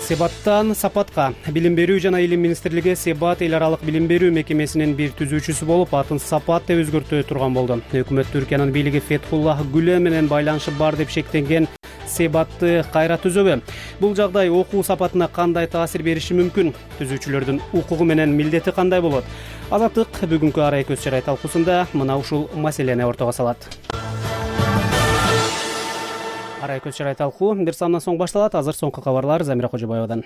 Себаттан сапатка. Билим берүү жана илим министрлиги Себат эл аралык билим берүү мекемесинин бир түзүүчүсү болуп, атын Сапат деп өзгөртө турган болду. Өкмөт Түркиянын бийлиги Фетхуллах Гүлен менен байланышы бар деп шектенген Себатты кайра түзөбү? Бул жагдай окуу сапатына кандай таасир бериши мүмкүн? Түзүүчүлөрдүн укугу менен милдети кандай болот? Азаттык бүгүнкү арай көз чарай талкуусунда мына ушул маселени ортого салат. Арай көз чарай талкуу бир сандан соң башталат. Азыр соңку кабарлар Замира Кожобаевадан.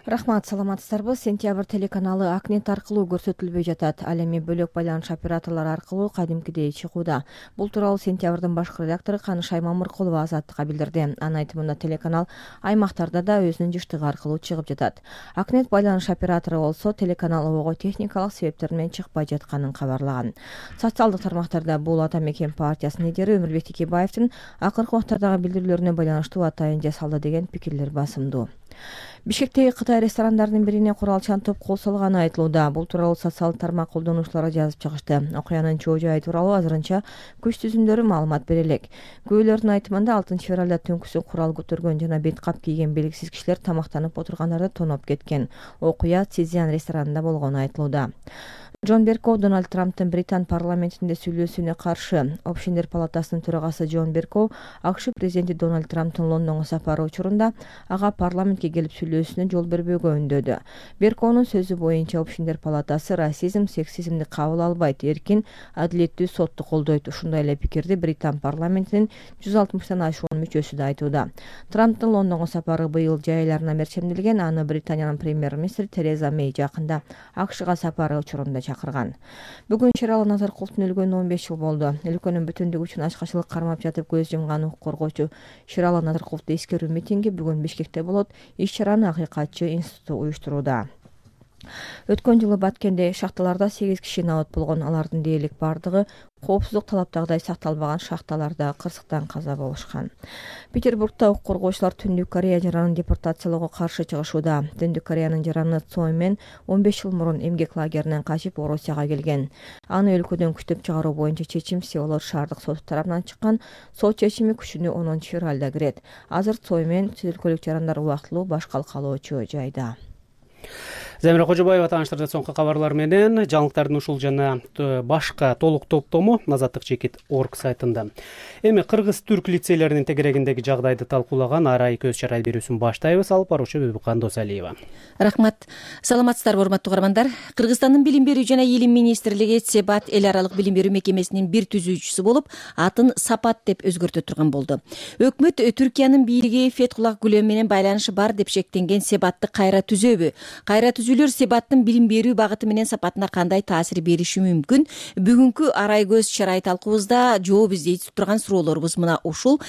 Рахмат, саламатсыздарбы? Сентябрь телеканалы Акнет аркылуу көрсөтүлбөй жатат. Ал эми бөлөк байланыш операторлору аркылуу кадимкидей чыгууда. Бул тууралуу Сентябрдын башкы редактору Каныш Аймамыркулова Азаттыкка билдирди. Анын айтымында телеканал аймактарда да өзүнүн жыштыгы аркылуу чыгып жатат. Акнет байланыш оператору болсо телеканал ого техникалык себептер менен чыкпай жатканын кабарлаган. Социалдык тармактарда бул Ата Мекен партиясынын лидери Өмүрбек Текебаевдин акыркы убактардагы билдирүүлөрүнө байланыштуу атайын жасалды деген пикирлер басымдуу. Бишкектеги Кытай ресторандарынын бирине куралчан топ кол салганы айтылууда. Бул тууралуу социалдык тармак колдонуучулары жазып чыгышты. Окуянын чоо жайы тууралуу азырынча күч түзүмдөрү маалымат бере элек. Күбөлөрдүн айтымында алтынчы февралда түнкүсүн курал көтөргөн жана бет кап кийген белгисиз кишилер тамактанып отургандарды тоноп кеткен. Окуя Цзян ресторанында болгону айтылууда. Джон Беркоу Дональд Трамптын Британ парламентинде сүйлөшүүнө каршы. Общиндер палатасынын төрагасы Джон Беркоу АКШ президенти Дональд Трамптын Лондонго сапары учурунда ага парламентке келип сүйлөшүүнө жол бербөөгө үндөдү. Беркоунун сөзү боюнча Общиндер палатасы расизм, сексизмди кабыл албайт, эркин, адилеттүү сотту колдойт. Ушундай эле пикирди Британ парламентинин жүз алтымыштан ашуун мүчөсү да айтууда. Трамптын Лондонго сапары быйыл жай айларына мерчемделген. Аны Британиянын премьер-министри Тереза Мэй жакында АКШга сапары учурунда чакырган. Бүгүн Шералы Назаркуловдун өлгөнүнө он беш жыл болду. Өлкөнүн бүтүндүгү үчүн ачкачылык кармап жатып көз жумган укук коргоочу Шералы Назаркуловду эскерүү митинги бүгүн Бишкекте болот. Иш-чараны Акыйкатчы институту уюштурууда. Өткөн жылы Баткенде шахталарда сегиз киши набат болгон. Алардын дээрлик бардыгы коопсуздук талаптагыдай сакталбаган шахталарда кырсыктан каза болушкан. Петербургда укук коргоочулар Түндүк Корея жаранын депортациялоого каршы чыгышууда. Түндүк Кореянын жараны Цой Мен он беш жыл мурун эмгек лагеринен качып Орусияга келген. Аны өлкөдөн күчтөп чыгаруу боюнча чечим Сеул шаардык соту тарабынан чыккан. Сот чечими күчүнө онунчу февралда кирет. Азыр Цой Мен өлкөлүк жарандар убактылуу баш калкалоочу жайда. Замира Кожобаева тааныштырды соңку кабарлар менен. Жаңылыктардын ушул жана башка толук топтому Азаттык чекит точка орг сайтында. Эми кыргыз-түрк лицейлеринин тегерегиндеги жагдайды талкуулаган арай көз чарай берүүсүн баштайбыз. Алып баруучу Бибикан Досалиева. Рахмат. Саламатсыздарбы, урматтуу угармандар. Кыргызстандын билим берүү жана илим министрлиги Себат эл аралык билим берүү мекемесинин бир түзүүчүсү болуп, атын Сапат деп өзгөртө турган болду. Өкмөт Түркиянын бийлиги Фетхуллах Гүлен менен байланышы бар деп шектенген Себатты кайра түзөбү? Кайра түзүүлөр Себаттын билим берүү багыты менен сапатына кандай таасир бериши мүмкүн? Бүгүнкү арай көз чарай талкуубузда жооп издей турган суроолорубуз мына ушул.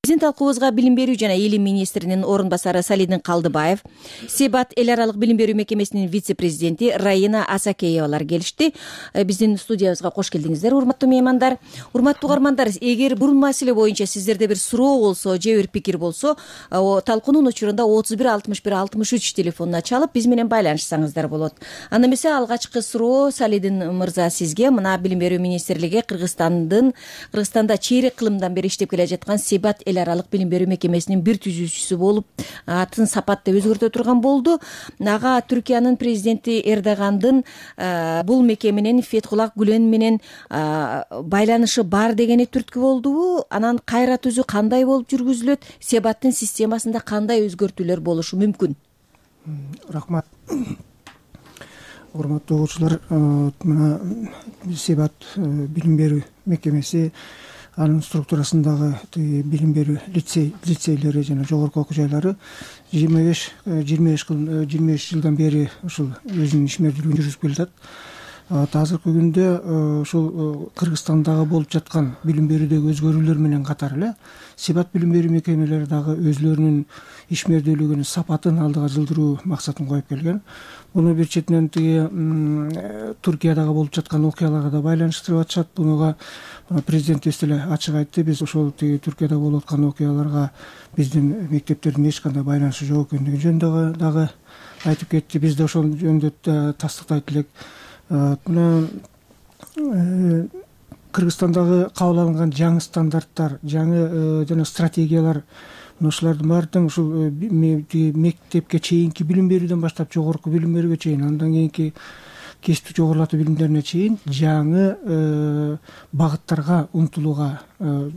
Биздин талкуубузга билим берүү жана илим министринин орун басары Салидин Калдыбаев, Себат эл аралык билим берүү мекемесинин вице-президенти Раина Асакеевалар келишти. Биздин студиябызга кош келдиңиздер, урматтуу меймандар. Урматтуу угармандар, эгер бул маселе боюнча сиздерде бир суроо болсо, же бир пикир болсо, талкуунун учурунда отуз бир алтымыш бир алтымыш үч телефонуна чалып биз менен байланышсаңыздар болот. Анда эмесе алгачкы суроо Салидин мырза сизге. Мына билим берүү министрлиги Кыргызстандын Кыргызстанда чейрек кылымдан бери иштеп келе жаткан Себат эл аралык билим берүү мекемесинин бир түзүүчүсү болуп, атын Сапат деп өзгөртө турган болду. Ага Түркиянын президенти Эрдогандын бул мекеменин Фетхуллах Гүлен менен байланышы бар дегени түрткү болдубу? Анан кайра түзүү кандай болуп жүргүзүлөт? Себаттын системасында кандай өзгөртүүлөр болушу мүмкүн? Рахмат. урматтуу угуучулар, мына Себат билим берүү мекемеси анын структурасындагы билим берүү лицей лицейлери жана жогорку окуу жайлары жыйырма беш жыйырма беш жыйырма беш жылдан бери ушул өзүнүн ишмердүүлүгүн жүргүзүп келатат. Азыркы күндө ушул Кыргызстандагы болуп жаткан билим берүүдөгү өзгөрүүлөр менен катар эле Себат билим берүү мекемелери дагы өзлөрүнүн ишмердүүлүгүнүн сапатын алдыга жылдыруу максатын коюп келген. Буну бир четинен тиги Туркиядагы болуп жаткан окуяларга да байланыштырып атышат. Бунуга президентибиз деле ачык айтты. Биз ошол тиги Туркияда болуп аткан окуяларга биздин мектептердин эч кандай байланышы жок экендиги жөнүндө дагы айтып кетти. Биз да ошол жөнүндө тастыктайт элек. Мына Кыргызстандагы кабыл алынган жаңы стандарттар, жаңы жана стратегиялар, ушулардын баардыгын ушул мектепке чейинки билим берүүдөн баштап жогорку билим берүүгө чейин, андан кийинки кесиптик жогорулатуу билимдерине чейин жаңы багыттарга умтулууга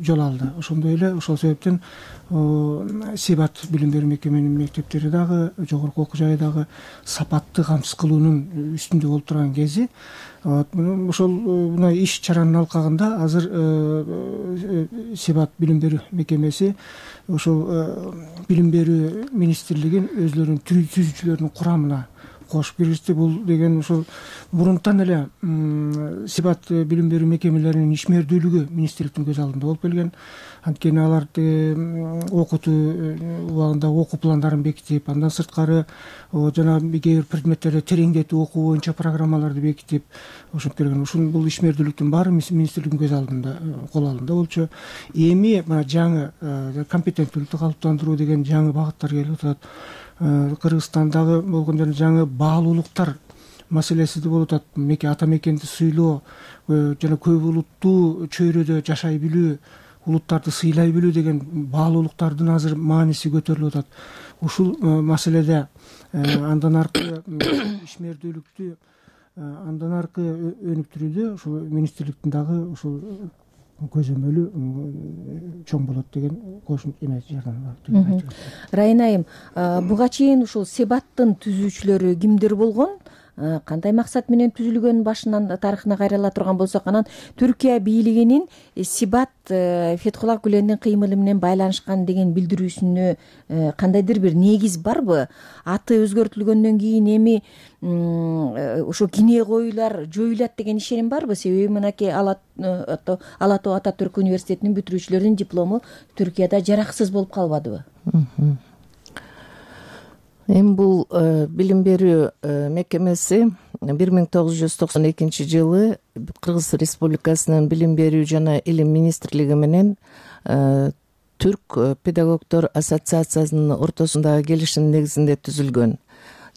жол алды. Ошондой эле ошол себептен Себат билим берүү мекеменин мектептери дагы жогорку окуу жайы дагы сапатты камсыз кылуунун үстүндө болуп турган кези. Ошол мына иш чаранын алкагында азыр Себат билим берүү мекемеси ошол билим берүү министрлигин өзлөрүнүн түзүүчүлөрүнүн курамына кошуп киргизди. Бул деген ушул мурунтан эле Себат билим берүү мекемелеринин ишмердүүлүгү министрликтин көз алдында болуп келген. Анткени алар окутуу убагында окуу пландарын бекитип, андан сырткары жана кээ бир предметтерди тереңдетүү окуу боюнча программаларды бекитип ошентип келген. Ушул бул ишмердүүлүктүн баары министрликтин көз алдында, кол алдында болчу. Эми мына жаңы компетенттүүлүктү калыптандыруу деген жаңы багыттар келип атат. Кыргызстандагы болгон жана жаңы баалуулуктар маселеси болуп атат. Меке ата мекенди сыйлоо жана көп улуттуу чөйрөдө жашай билүү, улуттарды сыйлай билүү деген баалуулуктардын азыр мааниси көтөрүлүп атат. Ушул маселеде андан аркы ишмердүүлүктү андан аркы өнүктүрүүдө ушул министрликтин дагы ушул көзөмөлү чоң болот деген кошумча эме жардам бар. Райын айым, буга чейин ушул Себаттын түзүүчүлөрү кимдер болгон? Кандай максат менен түзүлгөн башынан тарыхына кайрыла турган болсок, анан Түркия бийлигинин Себат Фетхулла Гүлендин кыймылы менен байланышкан деген билдирүүсүнө кандайдыр бир негиз барбы? Аты өзгөртүлгөндөн кийин эми ошо кине коюлар жоюлат деген ишеним барбы? Себеби мынакей Ала Тоо Ататүрк университетинин бүтүрүүчүлөрүнүн диплому Түркияда жараксыз болуп калбадыбы? Эми бул билим берүү мекемеси бир миң тогуз жүз токсон экинчи жылы Кыргыз Республикасынын билим берүү жана илим министрлиги менен Түрк педагогдор ассоциациясынын ортосундагы келишим негизинде түзүлгөн.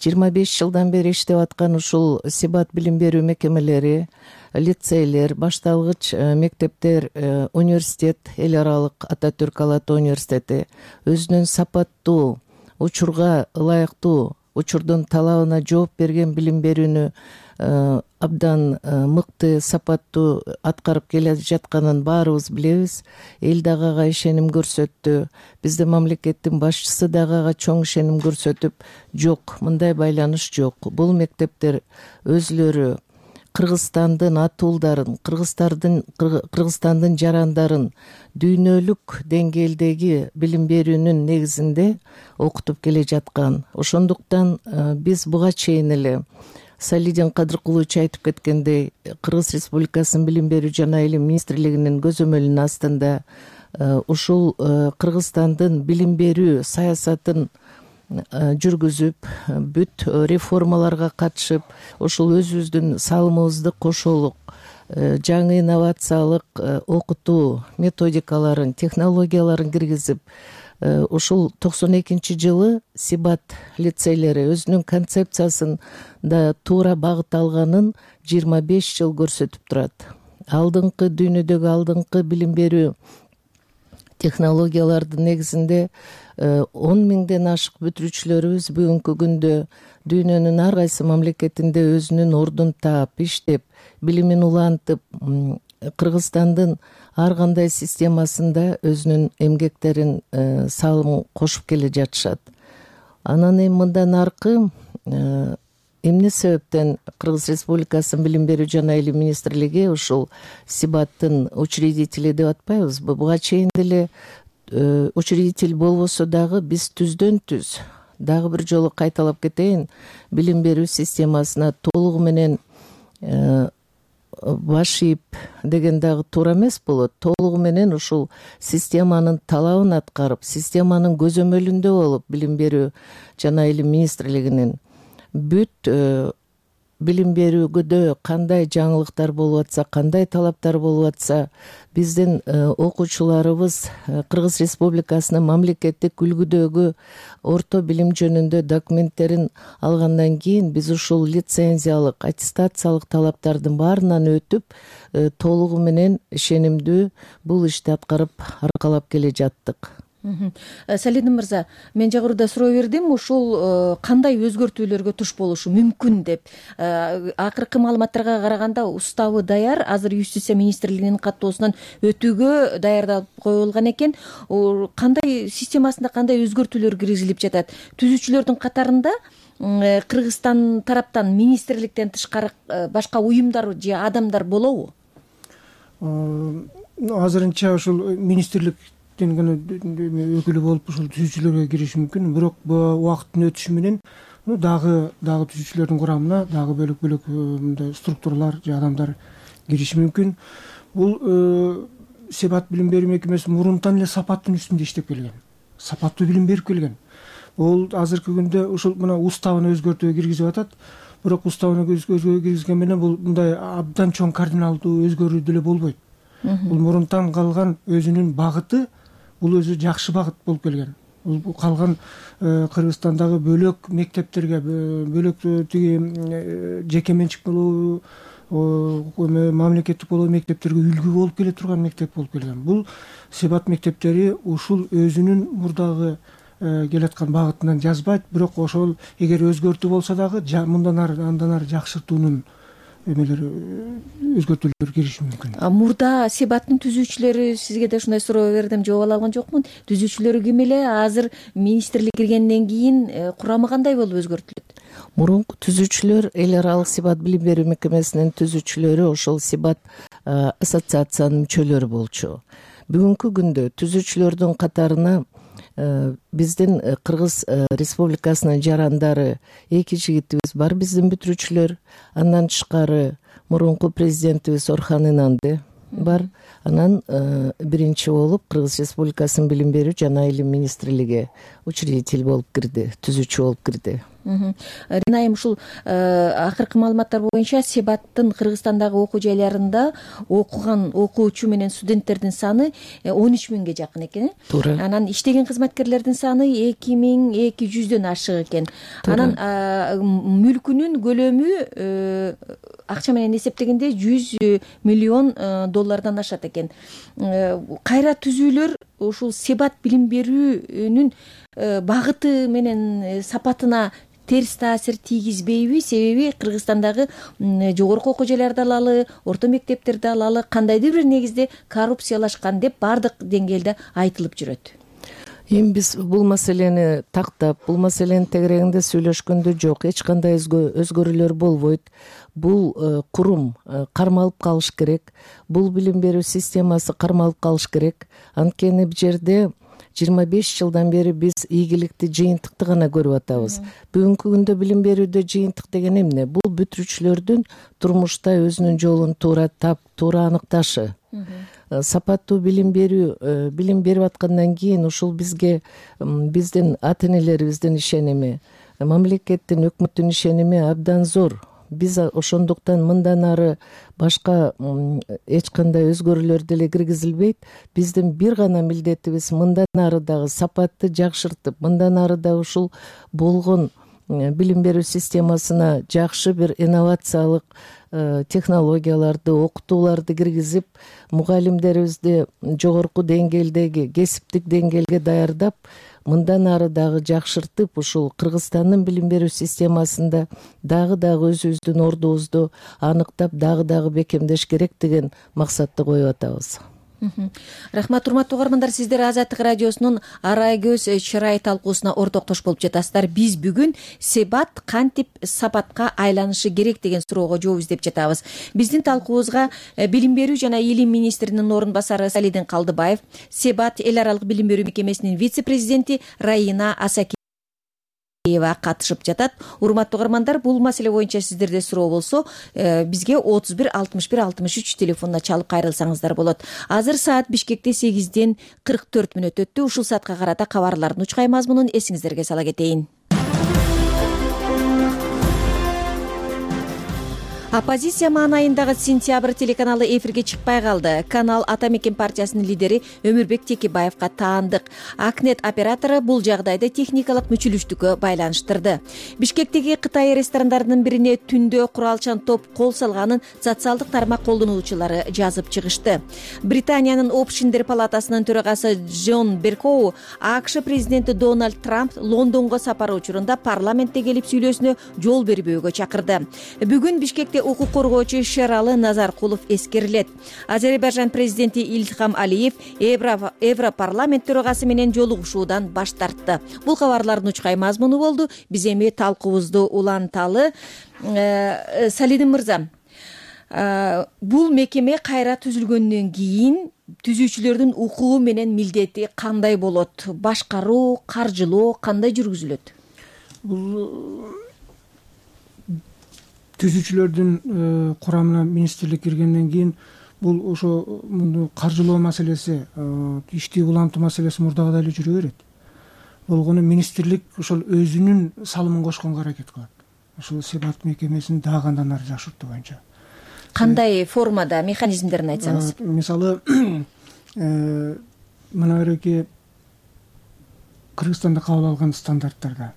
жыйырма беш жылдан бери иштеп аткан ушул Себат билим берүү мекемелери, лицейлер, башталгыч мектептер, университет, эл аралык Ататүрк Ала Тоо университети өзүнүн сапаттуу, учурга ылайыктуу, учурдун талабына жооп берген билим берүүнү абдан мыкты, сапаттуу аткарып келе жатканын баарыбыз билебиз. Эл дагы ага ишеним көрсөттү. Биздин мамлекеттин башчысы дагы ага чоң ишеним көрсөтүп, жок, мындай байланыш жок. Бул мектептер өзлөрү Кыргызстандын атуулдарын, Кыргыздардын Кыргызстандын жарандарын дүйнөлүк деңгээлдеги билим берүүнүн негизинде окутуп келе жаткан. Ошондуктан биз буга чейин эле Салидин Кадыркулович айтып кеткендей, Кыргыз Республикасынын билим берүү жана илим министрлигинин көзөмөлүнүн астында ушул Кыргызстандын билим берүү саясатын жүргүзүп, бүт реформаларга катышып, ушул өзүбүздүн салымыбызды кошолук, жаңы инновациялык окутуу методикаларын, технологияларын киргизип, ушул токсон экинчи жылы Себат лицейлери өзүнүн концепциясын да туура багыт алганын жыйырма беш жыл көрсөтүп турат. Алдыңкы дүйнөдөгү алдыңкы билим берүү технологиялардын негизинде он миңден ашык бүтүрүүчүлөрүбүз бүгүнкү күндө дүйнөнүн ар кайсы мамлекетинде өзүнүн ордун таап, иштеп, билимин улантып, Кыргызстандын ар кандай системасында өзүнүн эмгектерин, салымын кошуп келе жатышат. Анан эми мындан аркы эмне себептен Кыргыз Республикасынын билим берүү жана илим министрлиги ушул Сибаттын учредители деп атпайбызбы? Буга чейин деле учредитель болбосо дагы биз түздөн түз дагы бир жолу кайталап кетейин, билим берүү системасына толугу менен баш ийип деген дагы туура эмес болот. Толугу менен ушул системанын талабын аткарып, системанын көзөмөлүндө болуп, билим берүү жана илим министрлигинин бүт билим берүүгө кандай жаңылыктар болуп атса, кандай талаптар болуп атса, биздин окуучуларыбыз Кыргыз Республикасынын мамлекеттик үлгүдөгү орто билим жөнүндө документтерин алгандан кийин биз ушул лицензиялык, аттестациялык талаптардын баарынан өтүп, толугу менен ишенимдүү бул ишти аткарып аркалап келе жаттык. Салидин мырза, мен жогоруда суроо бердим, ушул кандай өзгөртүүлөргө туш болушу мүмкүн деп. Акыркы маалыматтарга караганда уставы даяр, азыр Юстиция министрлигинин каттоосунан өтүүгө даярдалып коюлган экен. Кандай системасында кандай өзгөртүүлөр киргизилип жатат? Түзүүчүлөрдүн катарында Кыргызстан тараптан министрликтен тышкары башка уюмдар же адамдар болобу? Азырынча ушул министрлик гана өкүлү болуп ушул түзүүчүлөргө кириши мүмкүн. Бирок убакыттын өтүшү менен дагы дагы түзүүчүлөрдүн курамына дагы бөлөк бөлөк мындай структуралар же адамдар кириши мүмкүн. Бул Себат билим берүү мекемеси мурунтан эле сапаттын үстүндө иштеп келген. Сапаттуу билим берип келген. Ол азыркы күндө ушул мына уставына өзгөртүү киргизип атат. Бирок уставына өзгөртүү киргизген менен бул мындай абдан чоң кардиналдуу өзгөрүү деле болбойт. Бул мурунтан калган өзүнүн багыты, бул өзү жакшы багыт болуп келген. Бул калган Кыргызстандагы бөлөк мектептерге, бөлөк тиги жеке менчик болобу, мамлекеттик болобу мектептерге үлгү болуп келе турган мектеп болуп келген. Бул Себат мектептери ушул өзүнүн мурдагы келаткан багытынан жазбайт, бирок ошол эгер өзгөртүү болсо дагы мындан ары андан ары жакшыртуунун эмелер өзгөртүүлөр кириши мүмкүн. Мурда Себаттын түзүүчүлөрү, сизге да ушундай суроо бердим, жооп ала алган жокмун. Түзүүчүлөрү ким эле? Азыр министрлик киргенден кийин курамы кандай болуп өзгөртүлөт? Мурунку түзүүчүлөр эл аралык Себат билим берүү мекемесинин түзүүчүлөрү ошол Себат ассоциациянын мүчөлөрү болчу. Бүгүнкү күндө түзүүчүлөрдүн катарына биздин Кыргыз Республикасынын жарандары эки жигитибиз бар, биздин бүтүрүүчүлөр. Андан тышкары мурунку президентибиз Орхон Инанды бар. Анан биринчи болуп Кыргыз Республикасынын билим берүү жана илим министрлиги учредитель болуп кирди, түзүүчү болуп кирди. Ринайым, ушул акыркы маалыматтар боюнча Себаттын Кыргызстандагы окуу жайларында окуган окуучу менен студенттердин саны он үч миңге жакын экен. Туура. Анан иштеген кызматкерлердин саны эки миң эки жүздөн ашык экен. Анан мүлкүнүн көлөмү акча менен эсептегенде жүз миллион доллардан ашат экен. Кайра түзүүлөр ушул Себат билим берүүнүн багыты менен сапатына терс таасир тийгизбейби? Себеби Кыргызстандагы жогорку окуу жайларды алалы, орто мектептерди алалы, кандайдыр бир негизде коррупциялашкан деп баардык деңгээлде айтылып жүрөт. Эми биз бул маселени тактап, бул маселенин тегерегинде сүйлөшкөндө жок, эч кандай өзгөрүүлөр болбойт. Бул курум кармалып калыш керек. Бул билим берүү системасы кармалып калыш керек. Анткени бул жерде жыйырма беш жылдан бери биз ийгиликти, жыйынтыкты гана көрүп атабыз. Бүгүнкү күндө билим берүүдө жыйынтык деген эмне? Бул бүтүрүүчүлөрдүн турмушта өзүнүн жолун туура тап, туура аныкташы. Сапаттуу билим берүү, билим берип аткандан кийин ушул бизге биздин ата энелерибиздин ишеними, мамлекеттин, өкмөттүн ишеними абдан зор. Биз ошондуктан мындан ары башка эч кандай өзгөрүүлөр деле киргизилбейт. Биздин бир гана милдетибиз мындан ары дагы сапатты жакшыртып, мындан ары да ушул болгон билим берүү системасына жакшы бир инновациялык технологияларды, окутууларды киргизип, мугалимдерибизди жогорку деңгээлдеги кесиптик деңгээлге даярдап, мындан ары дагы жакшыртып, ушул Кыргызстандын билим берүү системасында дагы дагы өзүбүздүн ордубузду аныктап, дагы дагы бекемдеш керек деген максатты коюп атабыз. Рахмат, урматтуу угармандар, сиздер Азаттык радиосунун Арай көз чырай талкуусуна ортоктош болуп жатасыздар. Биз бүгүн себат кантип сапатка айланышы керек деген суроого жооп издеп жатабыз. Биздин талкуубузга билим берүү жана илим министринин орун басары Салидин Калдыбаев, себат эл аралык билим берүү мекемесинин вице-президенти Раина Асаки катышып жатат. Урматтуу угармандар, бул маселе боюнча сиздерде суроо болсо, бизге отуз бир алтымыш бир алтымыш үч телефонуна чалып кайрылсаңыздар болот. Азыр саат Бишкекте сегизден кырк төрт мүнөт өттү. Ушул саатка карата кабарлардын учкай мазмунун эсиңиздерге сала кетейин. Оппозиция маанайындагы Сентябрь телеканалы эфирге чыкпай калды. Канал Ата Мекен партиясынын лидери Өмүрбек Текебаевка таандык. Акнет оператору бул жагдайды техникалык мүчүлүштүккө байланыштырды. Бишкектеги Кытай ресторандарынын бирине түндө куралчан топ кол салганын социалдык тармак колдонуучулары жазып чыгышты. Британиянын Общиндер палатасынын төрагасы Джон Беркоу АКШ президенти Дональд Трамп Лондонго сапары учурунда парламентте келип сүйлөшүүнө жол бербөөгө чакырды. Бүгүн Бишкекте укук коргоочу Шералы Назаркулов эскерилет. Азербайжан президенти Ильхам Алиев Европарламент төрагасы менен жолугушуудан баш тартты. Бул кабарлардын учкай мазмуну болду. Биз эми талкуубузду уланталы. Салидин мырза, бул мекеме кайра түзүлгөндөн кийин түзүүчүлөрдүн укугу менен милдети кандай болот? Башкаруу, каржылоо кандай жүргүзүлөт? Бул түзүүчүлөрдүн курамына министрлик киргенден кийин бул ошо муну каржылоо маселеси, ишти улантуу маселеси мурдагыдай эле жүрө берет. Болгону министрлик ошол өзүнүн салымын кошконго аракет кылат. Ошол себат мекемесин дагы андан ары жакшыртуу боюнча. Кандай формада, механизмдерин айтсаңыз? Мисалы, мына береки Кыргызстанда кабыл алган стандарттарда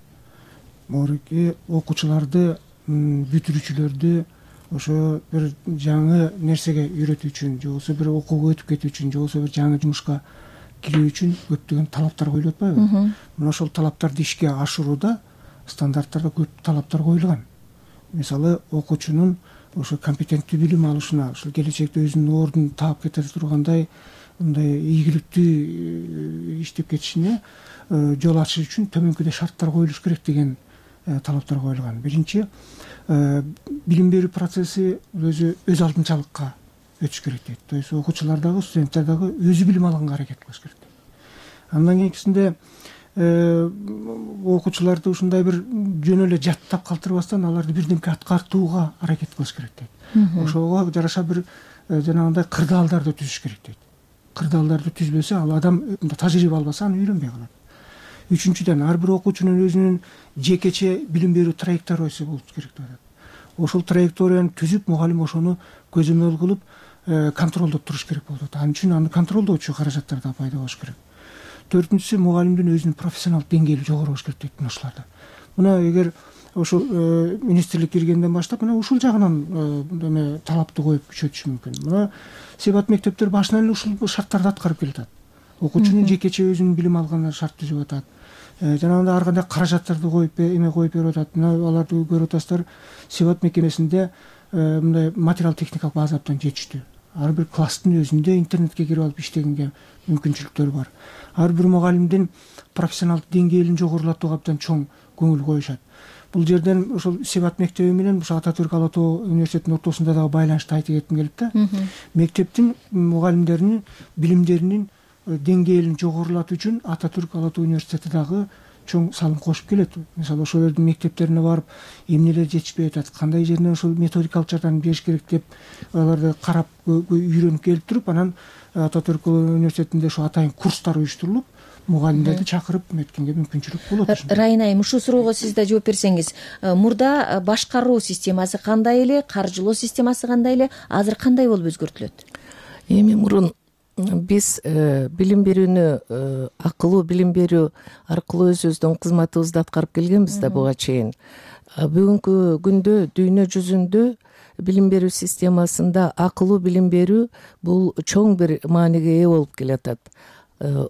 могуреки окуучуларды, бүтүрүүчүлөрдү ошо бир жаңы нерсеге үйрөтүү үчүн, же болбосо бир окууга өтүп кетүү үчүн, же болбосо бир жаңы жумушка кирүү үчүн көптөгөн талаптар коюлуп атпайбы? Мына ошол талаптарды ишке ашырууда стандарттарда көп талаптар коюлган. Мисалы, окуучунун ошо компетенттүү билим алышына, ошол келечекте өзүнүн ордун таап кете тургандай, мындай ийгиликтүү иштеп кетишине жол ачыш үчүн төмөнкүдөй шарттар коюлуш керек деген талаптар коюлган. Биринчи, билим берүү процесси өзү өз алдынчалыкка өтүш керек дейт. То есть окуучулар дагы, студенттер дагы өзү билим алганга аракет кылыш керек дейт. Андан кийинкисинде окуучуларды ушундай бир жөн эле жаттап калтырбастан аларды бирдемке аткартууга аракет кылыш керек дейт. Ошого жараша бир жанагындай кырдаалдарды түзүш керек дейт. Кырдаалдарды түзбөсө, ал адам тажрыйба албаса аны үйрөнбөй калат. Үчүнчүдөн, ар бир окуучунун өзүнүн жекече билим берүү траекториясы болуш керек деп атат. Ошол траекторияны түзүп, мугалим ошону көзөмөл кылып, контролдоп туруш керек болот. Ал үчүн аны контролдоочу каражаттар да пайда болуш керек. Төртүнчүсү, мугалимдин өзүнүн профессионалдык деңгээли жогору болуш керек дейт ушуларда. Мына эгер ошол министрлик киргенден баштап мына ушул жагынан эме талапты коюп күчөтүш мүмкүн. Мына себат мектептер башынан эле ушул шарттарды аткарып келатат. Окуучунун жекече өзүнүн билим алганына шарт түзүп атат. Жанагындай ар кандай каражаттарды коюп эме коюп берип атат. Мына аларды көрүп атасыздар, себат мекемесинде мындай материал техникалык база абдан жетиштүү. Ар бир класстын өзүндө интернетке кирип алып иштегенге мүмкүнчүлүктөр бар. Ар бир мугалимдин профессионалдык деңгээлин жогорулатууга абдан чоң көңүл коюшат. Бул жерден ошол себат мектеби менен ошо Ата Түрк Ала Тоо университетинин ортосунда дагы байланышты айтып кетким келип да. Мектептин мугалимдеринин билимдеринин деңгээлин жогорулатуу үчүн Ата Түрк Ала Тоо университети дагы чоң салым кошуп келет. Мисалы, ошол жердин мектептерине барып, эмнелер жетишпей атат, кандай жеринен ошол методикалык жардам бериш керек деп аларды карап, үйрөнүп келип туруп, анан Ата Түрк университетинде ошо атайын курстар уюштурулуп, мугалимдерди чакырып эметкенге мүмкүнчүлүк болот. Райна айым, ушул суроого сиз да жооп берсеңиз, мурда башкаруу системасы кандай эле, каржылоо системасы кандай эле, азыр кандай болуп өзгөртүлөт? Эми мурун биз билим берүүнү акылуу билим берүү аркылуу өзүбүздүн кызматыбызды аткарып келгенбиз да буга чейин. Бүгүнкү күндө дүйнө жүзүндө билим берүү системасында акылуу билим берүү бул чоң бир мааниге ээ болуп келатат.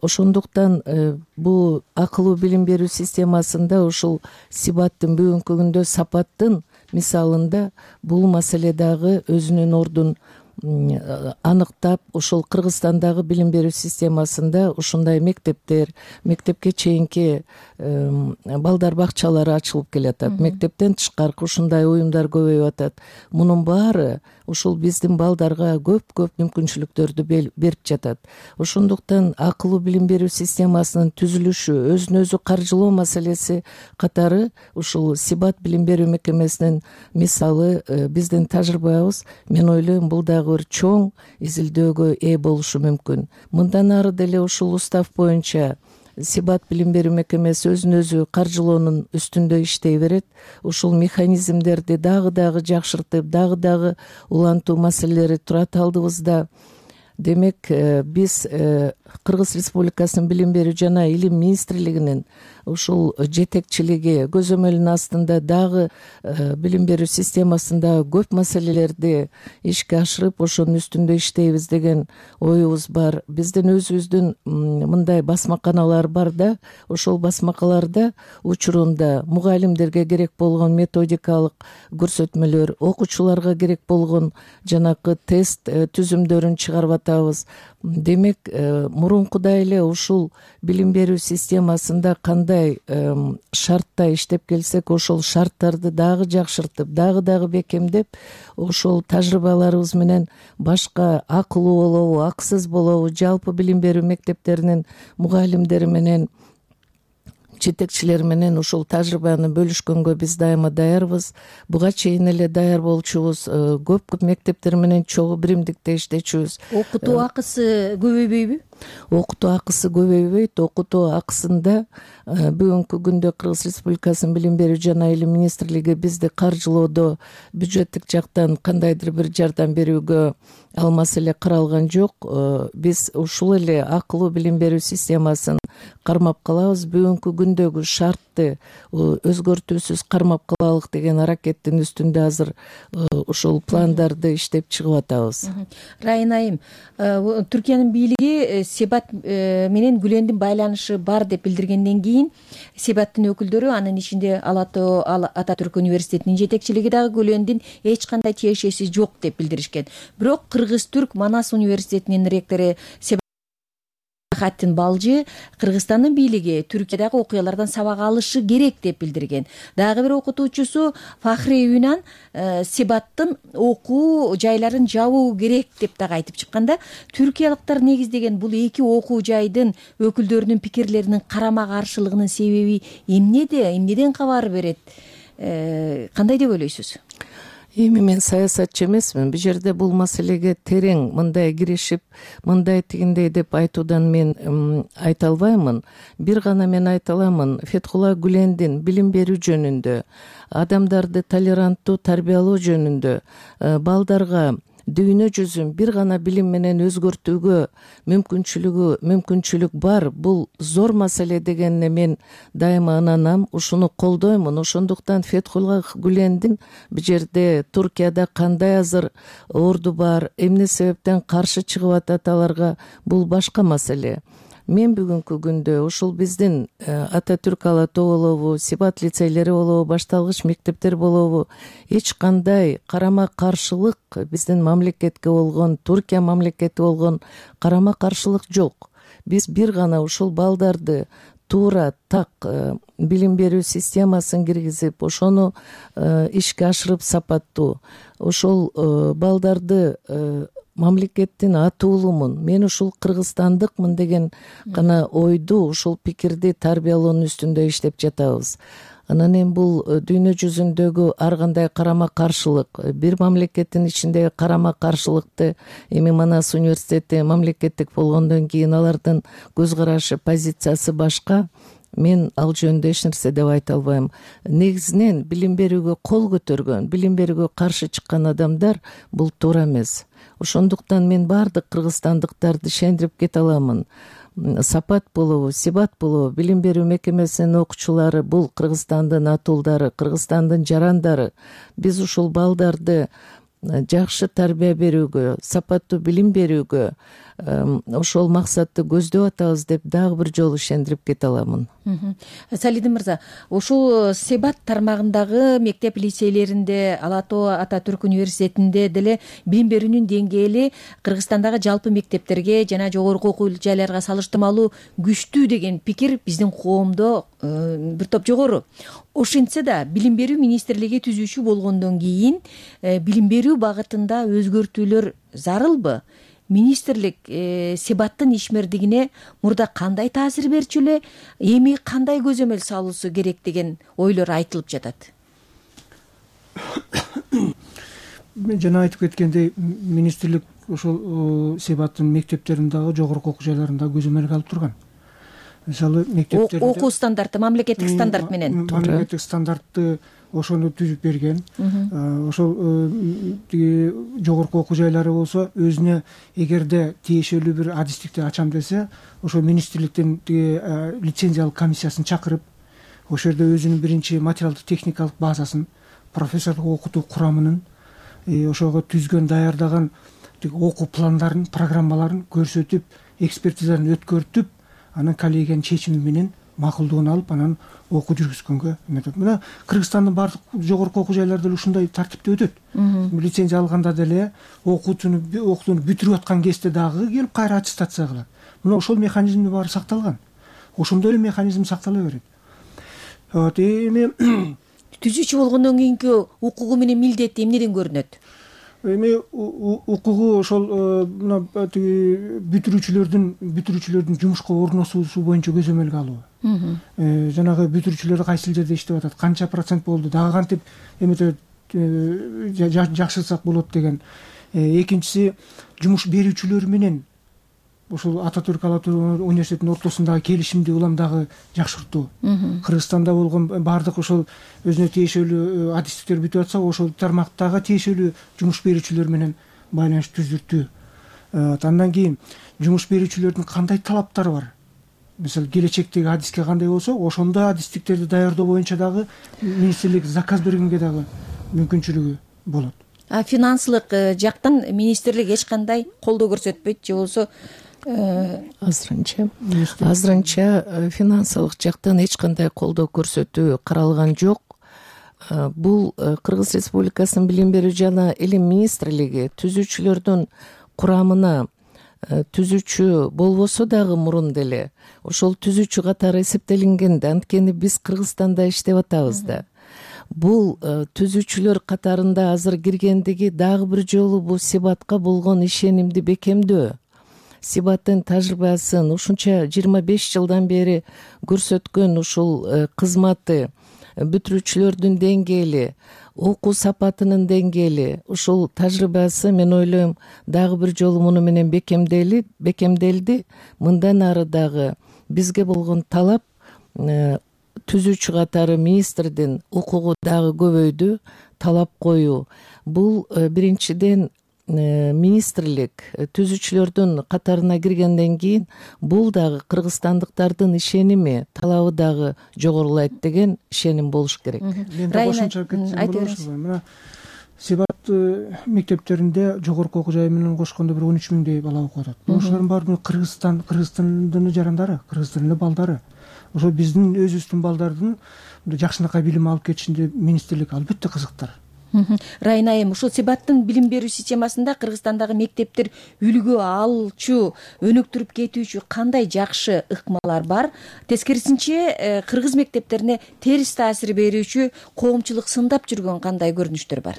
Ошондуктан бул акылуу билим берүү системасында ушул сипаттын бүгүнкү күндө сапаттын мисалында бул маселе дагы өзүнүн ордун аныктап ушул Кыргызстандагы билим берүү системасында ушундай мектептер, мектепке чейинки балдар бакчалары ачылып келатат. Мектептен тышкаркы ушундай уюмдар көбөйүп атат. Мунун баары ушул биздин балдарга көп-көп мүмкүнчүлүктөрдү берип жатат. Ошондуктан акылуу билим берүү системасынын түзүлүшү, өзүн өзү каржылоо маселеси катары ушул Сибат билим берүү мекемесинин мисалы биздин тажрыйбабыз, мен ойлойм, бул дагы бир чоң изилдөөгө ээ болушу мүмкүн. Мындан ары деле ушул устав боюнча Сибат билим берүү мекемеси өзүн өзү каржылоонун үстүндө иштей берет. Ушул механизмдерди дагы дагы жакшыртып, дагы дагы улантуу маселелери турат алдыбызда. Демек, биз Кыргыз Республикасынын билим берүү жана илим министрлигинин ушул жетекчилиги көзөмөлүнүн астында дагы билим берүү системасында көп маселелерди ишке ашырып, ошонун үстүндө иштейбиз деген оюбуз бар. Биздин өзүбүздүн мындай басмаканалар бар да, ошол басмакаларда учурунда мугалимдерге керек болгон методикалык көрсөтмөлөр, окуучуларга керек болгон жанакы тест түзүмдөрүн чыгарып атабыз. Демек, мурункудай эле ушул билим берүү системасында кандай шартта иштеп келсек, ошол шарттарды дагы жакшыртып, дагы дагы бекемдеп, ошол тажрыйбаларыбыз менен башка акылуу болобу, акысыз болобу, жалпы билим берүү мектептеринин мугалимдери менен, жетекчилер менен ушул тажрыйбаны бөлүшкөнгө биз дайыма даярбыз. Буга чейин эле даяр болчубуз. Көп көп мектептер менен чогуу биримдикте иштечүбүз. Окутуу акысы көбөйбөйбү? Окутуу акысы көбөйбөйт. Окутуу акысында бүгүнкү күндө Кыргыз Республикасынын билим берүү жана илим министрлиги бизди каржылоодо бюджеттик жактан кандайдыр бир жардам берүүгө ал маселе каралган жок. Биз ушул эле акылуу билим берүү системасын кармап калабыз. Бүгүнкү күндөгү шартты өзгөртүүсүз кармап калалык деген аракеттин үстүндө азыр ушул пландарды иштеп чыгып атабыз. Райын айым, Түркиянын бийлиги Сибат менен Гүлендин байланышы бар деп билдиргенден кийин Сибаттын өкүлдөрү, анын ичинде Ататүрк университетинин жетекчилиги дагы Гүлендин эч кандай тиешеси жок деп билдиришкен. Бирок Кыргыз-Түрк Манас университетинин ректору Хаттин Балжы Кыргызстандын бийлиги Түркиядагы окуялардан сабак алышы керек деп билдирген. Дагы бир окутуучусу Фахри Юнан Сибаттын окуу жайларын жабуу керек деп дагы айтып чыкканда, түркиялыктар негиздеген бул эки окуу жайдын өкүлдөрүнүн пикирлеринин карама каршылыгынын себеби эмнеде, эмнеден кабар берет? Кандай деп ойлойсуз? Эми мен саясатчы эмесмин. Бул жерде бул маселеге терең мындай киришип, мындай тигиндей деп айтуудан мен айта албаймын. Бир гана мен айта аламын. Фетхулла Гүлендин билим берүү жөнүндө, адамдарды толеранттуу тарбиялоо жөнүндө, балдарга дүйнө жүзүн бир гана билим менен өзгөртүүгө мүмкүнчүлүгү мүмкүнчүлүк бар. Бул зор маселе дегенине мен дайыма ынанам, ушуну колдоймун. Ошондуктан Фетхулла Гүлендин бул жерде Туркияда кандай азыр орду бар, эмне себептен каршы чыгып атат аларга, бул башка маселе. Мен бүгүнкү күндө ушул биздин Ататүрк Алатоо болобу, Сибат лицейлери болобу, башталгыч мектептер болобу, эч кандай карама каршылык биздин мамлекетке болгон, Туркия мамлекети болгон карама каршылык жок. Биз бир гана ушул балдарды туура так билим берүү системасын киргизип, ошону ишке ашырып сапаттуу, ошол балдарды мамлекеттин атуулумун, мен ушул кыргызстандыкмын деген гана ойду, ушул пикирди тарбиялоонун үстүндө иштеп жатабыз. Анан эми бул дүйнө жүзүндөгү ар кандай карама каршылык, бир мамлекеттин ичиндеги карама каршылыкты эми Манас университети мамлекеттик болгондон кийин алардын көз карашы, позициясы башка. Мен ал жөнүндө эч нерсе деп айта албайм. Негизинен билим берүүгө кол көтөргөн, билим берүүгө каршы чыккан адамдар бул туура эмес. Ошондуктан мен баардык кыргызстандыктарды ишендирип кете аламын. Сапат болобу, Сибат болобу, билим берүү мекемесинин окуучулары бул Кыргызстандын атуулдары, Кыргызстандын жарандары. Биз ушул балдарды жакшы тарбия берүүгө, сапаттуу билим берүүгө, ошол максатты көздөп атабыз деп дагы бир жолу ишендирип кете аламын. Салидин мырза, ушул Себат тармагындагы мектеп лицейлеринде, Ала Тоо Ата Түрк университетинде деле билим берүүнүн деңгээли Кыргызстандагы жалпы мектептерге жана жогорку окуу жайларга салыштырмалуу күчтүү деген пикир биздин коомдо бир топ жогору. Ошентсе да билим берүү министрлиги түзүүчү болгондон кийин билим берүү багытында өзгөртүүлөр зарылбы? Министрлик Себаттын ишмердигине мурда кандай таасир берчү эле, эми кандай көзөмөл салуусу керек деген ойлор айтылып жатат. Мен жана айтып кеткендей, министрлик ошол Себаттын мектептериндагы жогорку окуу жайларында көзөмөлгө алып турган. Мисалы мектептерде окуу стандарты, мамлекеттик стандарт менен мамлекеттик стандартты ошону түзүп берген. Ошол жогорку окуу жайлары болсо өзүнө эгерде тиешелүү бир адистикти ачам десе, ошо министрликтин лицензиялык комиссиясын чакырып, ошол жерде өзүнүн биринчи материалдык техникалык базасын, профессорлук окутуу курамынын ошого түзгөн, даярдаган окуу пландарын, программаларын көрсөтүп, экспертизаны өткөртүп, анан коллегиянын чечими менен макулдугун алып, анан окуу жүргүзгөнгө эметет. Мына Кыргызстандын баардык жогорку окуу жайлары деле ушундай тартипте өтөт. Лицензия алганда деле окуучуну окууну бүтүрүп аткан кезде дагы келип кайра аттестация кылат. Мына ошол механизмдин баары сакталган. Ошондой эле механизм сактала берет. Вот эми түзүүчү болгондон кийинки укугу менен милдети эмнеден көрүнөт? Эми укугу ошол мына бүтүрүүчүлөрдүн бүтүрүүчүлөрдүн жумушка орношуусу боюнча көзөмөлгө алуу. Жанагы бүтүрүүчүлөр кайсыл жерде иштеп атат, канча процент болду, дагы кантип эметип жакшыртсак болот деген. Экинчиси, жумуш берүүчүлөр менен ошол Ата Түрк Ала Тоо университетинин ортосундагы келишимди улам дагы жакшыртуу. Кыргызстанда болгон баардык ошол өзүнө тиешелүү адистиктер бүтүп атса, ошол тармактагы тиешелүү жумуш берүүчүлөр менен байланыш түзүлтүү. Андан кийин жумуш берүүчүлөрдүн кандай талаптары бар? Мисалы, келечектеги адиске кандай болсо, ошондой адистиктерди даярдоо боюнча дагы министрлик заказ бергенге дагы мүмкүнчүлүгү болот. А финансылык жактан министрлик эч кандай колдоо көрсөтпөйт же болбосо азырынча азырынча финансылык жактан эч кандай колдоо көрсөтүү каралган жок. Бул Кыргыз Республикасынын билим берүү жана илим министрлиги түзүүчүлөрдүн курамына түзүүчү болбосо дагы мурун деле ошол түзүүчү катары эсептелинген да, анткени биз Кыргызстанда иштеп атабыз да. Бул түзүүчүлөр катарында азыр киргендиги дагы бир жолу бул Себатка болгон ишенимди бекемдөө. Себаттын тажрыйбасын ушунча жыйырма беш жылдан бери көрсөткөн ушул кызматы, бүтүрүүчүлөрдүн деңгээли, окуу сапатынын деңгээли, ушул тажрыйбасы мен ойлойм дагы бир жолу муну менен бекемдели бекемделди. Мындан ары дагы бизге болгон талап түзүүчү катары министрдин укугу дагы көбөйдү, талап коюу. Бул биринчиден министрлик түзүүчүлөрдүн катарына киргенден кийин бул дагы кыргызстандыктардын ишеними, талабы дагы жогорулайт деген ишеним болуш керек. Мен да кошумча кетсем, мына Себат мектептеринде жогорку окуу жай менен кошкондо бир он үч миңдей бала окуп атат. Ошолордун баары Кыргызстан, Кыргыз тилинин жарандары, кыргыз тилинин балдары. Ошо биздин өзүбүздүн балдардын жакшынакай билим алып кетишинде министрлик албетте кызыктар. Райна айым, ушул Себаттын билим берүү системасында Кыргызстандагы мектептер үлгү алчу, өнүктүрүп кетүүчү кандай жакшы ыкмалар бар? Тескерисинче, кыргыз мектептерине терс таасир берүүчү, коомчулук сындап жүргөн кандай көрүнүштөр бар?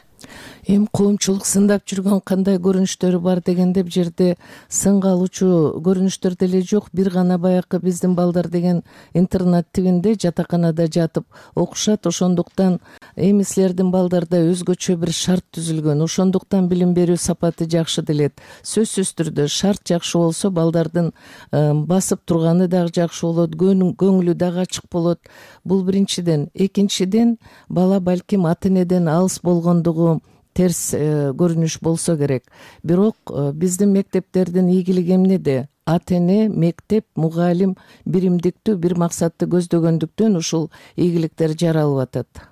Эми коомчулук сындап жүргөн кандай көрүнүштөрү бар дегенде бул жерде сынга алуучу көрүнүштөр деле жок. Бир гана баягы биздин балдар деген интернат тибинде жатаканада жатып окушат. Ошондуктан эми силердин балдарда өзгөчө бир шарт түзүлгөн. Ошондуктан билим берүү сапаты жакшы делет. Сөзсүз түрдө шарт жакшы болсо балдардын басып турганы дагы жакшы болот, көңүлү дагы ачык болот. Бул биринчиден. Экинчиден, бала балким ата энеден алыс болгондугу терс көрүнүш болсо керек. Бирок биздин мектептердин ийгилиги эмнеде? Ата эне, мектеп, мугалим биримдиктүү бир максатты көздөгөндүктөн ушул ийгиликтер жаралып атат.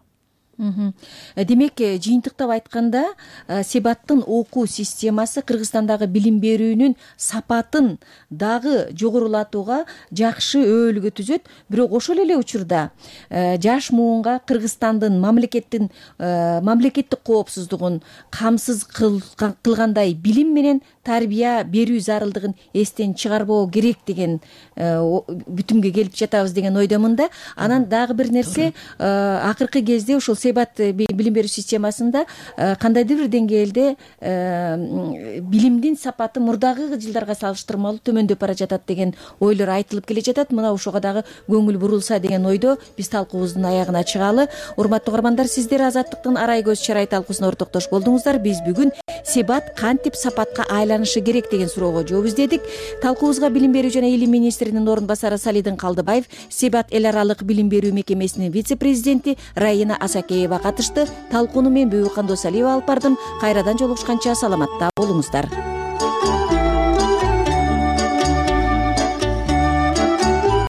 демек жыйынтыктап айтканда себаттын окуу системасы Кыргызстандагы билим берүүнүн сапатын дагы жогорулатууга жакшы өбөлгө түзөт. Бирок ошол эле учурда жаш муунга Кыргызстандын мамлекеттин мамлекеттик коопсуздугун камсыз кылгандай билим менен тарбия берүү зарылдыгын эстен чыгарбоо керек деген бүтүмгө келип жатабыз деген ойдомун да. Анан дагы бир нерсе, акыркы кезде ушул себат билим берүү системасында кандайдыр бир деңгээлде билимдин сапаты мурдагы жылдарга салыштырмалуу төмөндөп бара жатат деген ойлор айтылып келе жатат. Мына ошого дагы көңүл бурулса деген ойдо биз талкуубуздун аягына чыгалы. Урматтуу угармандар, сиздер Азаттыктын Арай көз чарай талкуусуна ортоктош болдуңуздар. Биз бүгүн себат кантип сапатка айланышы керек деген суроого жооп издедик. Талкуубузга билим берүү жана илим министринин орун басары Салидин Калдыбаев, себат эл аралык билим берүү мекемесинин вице-президенти Раина Асакеева катышты. Талкууну мен Бүбүкан Досалиева алып бардым. Кайрадан жолугушканча саламатта болуңуздар.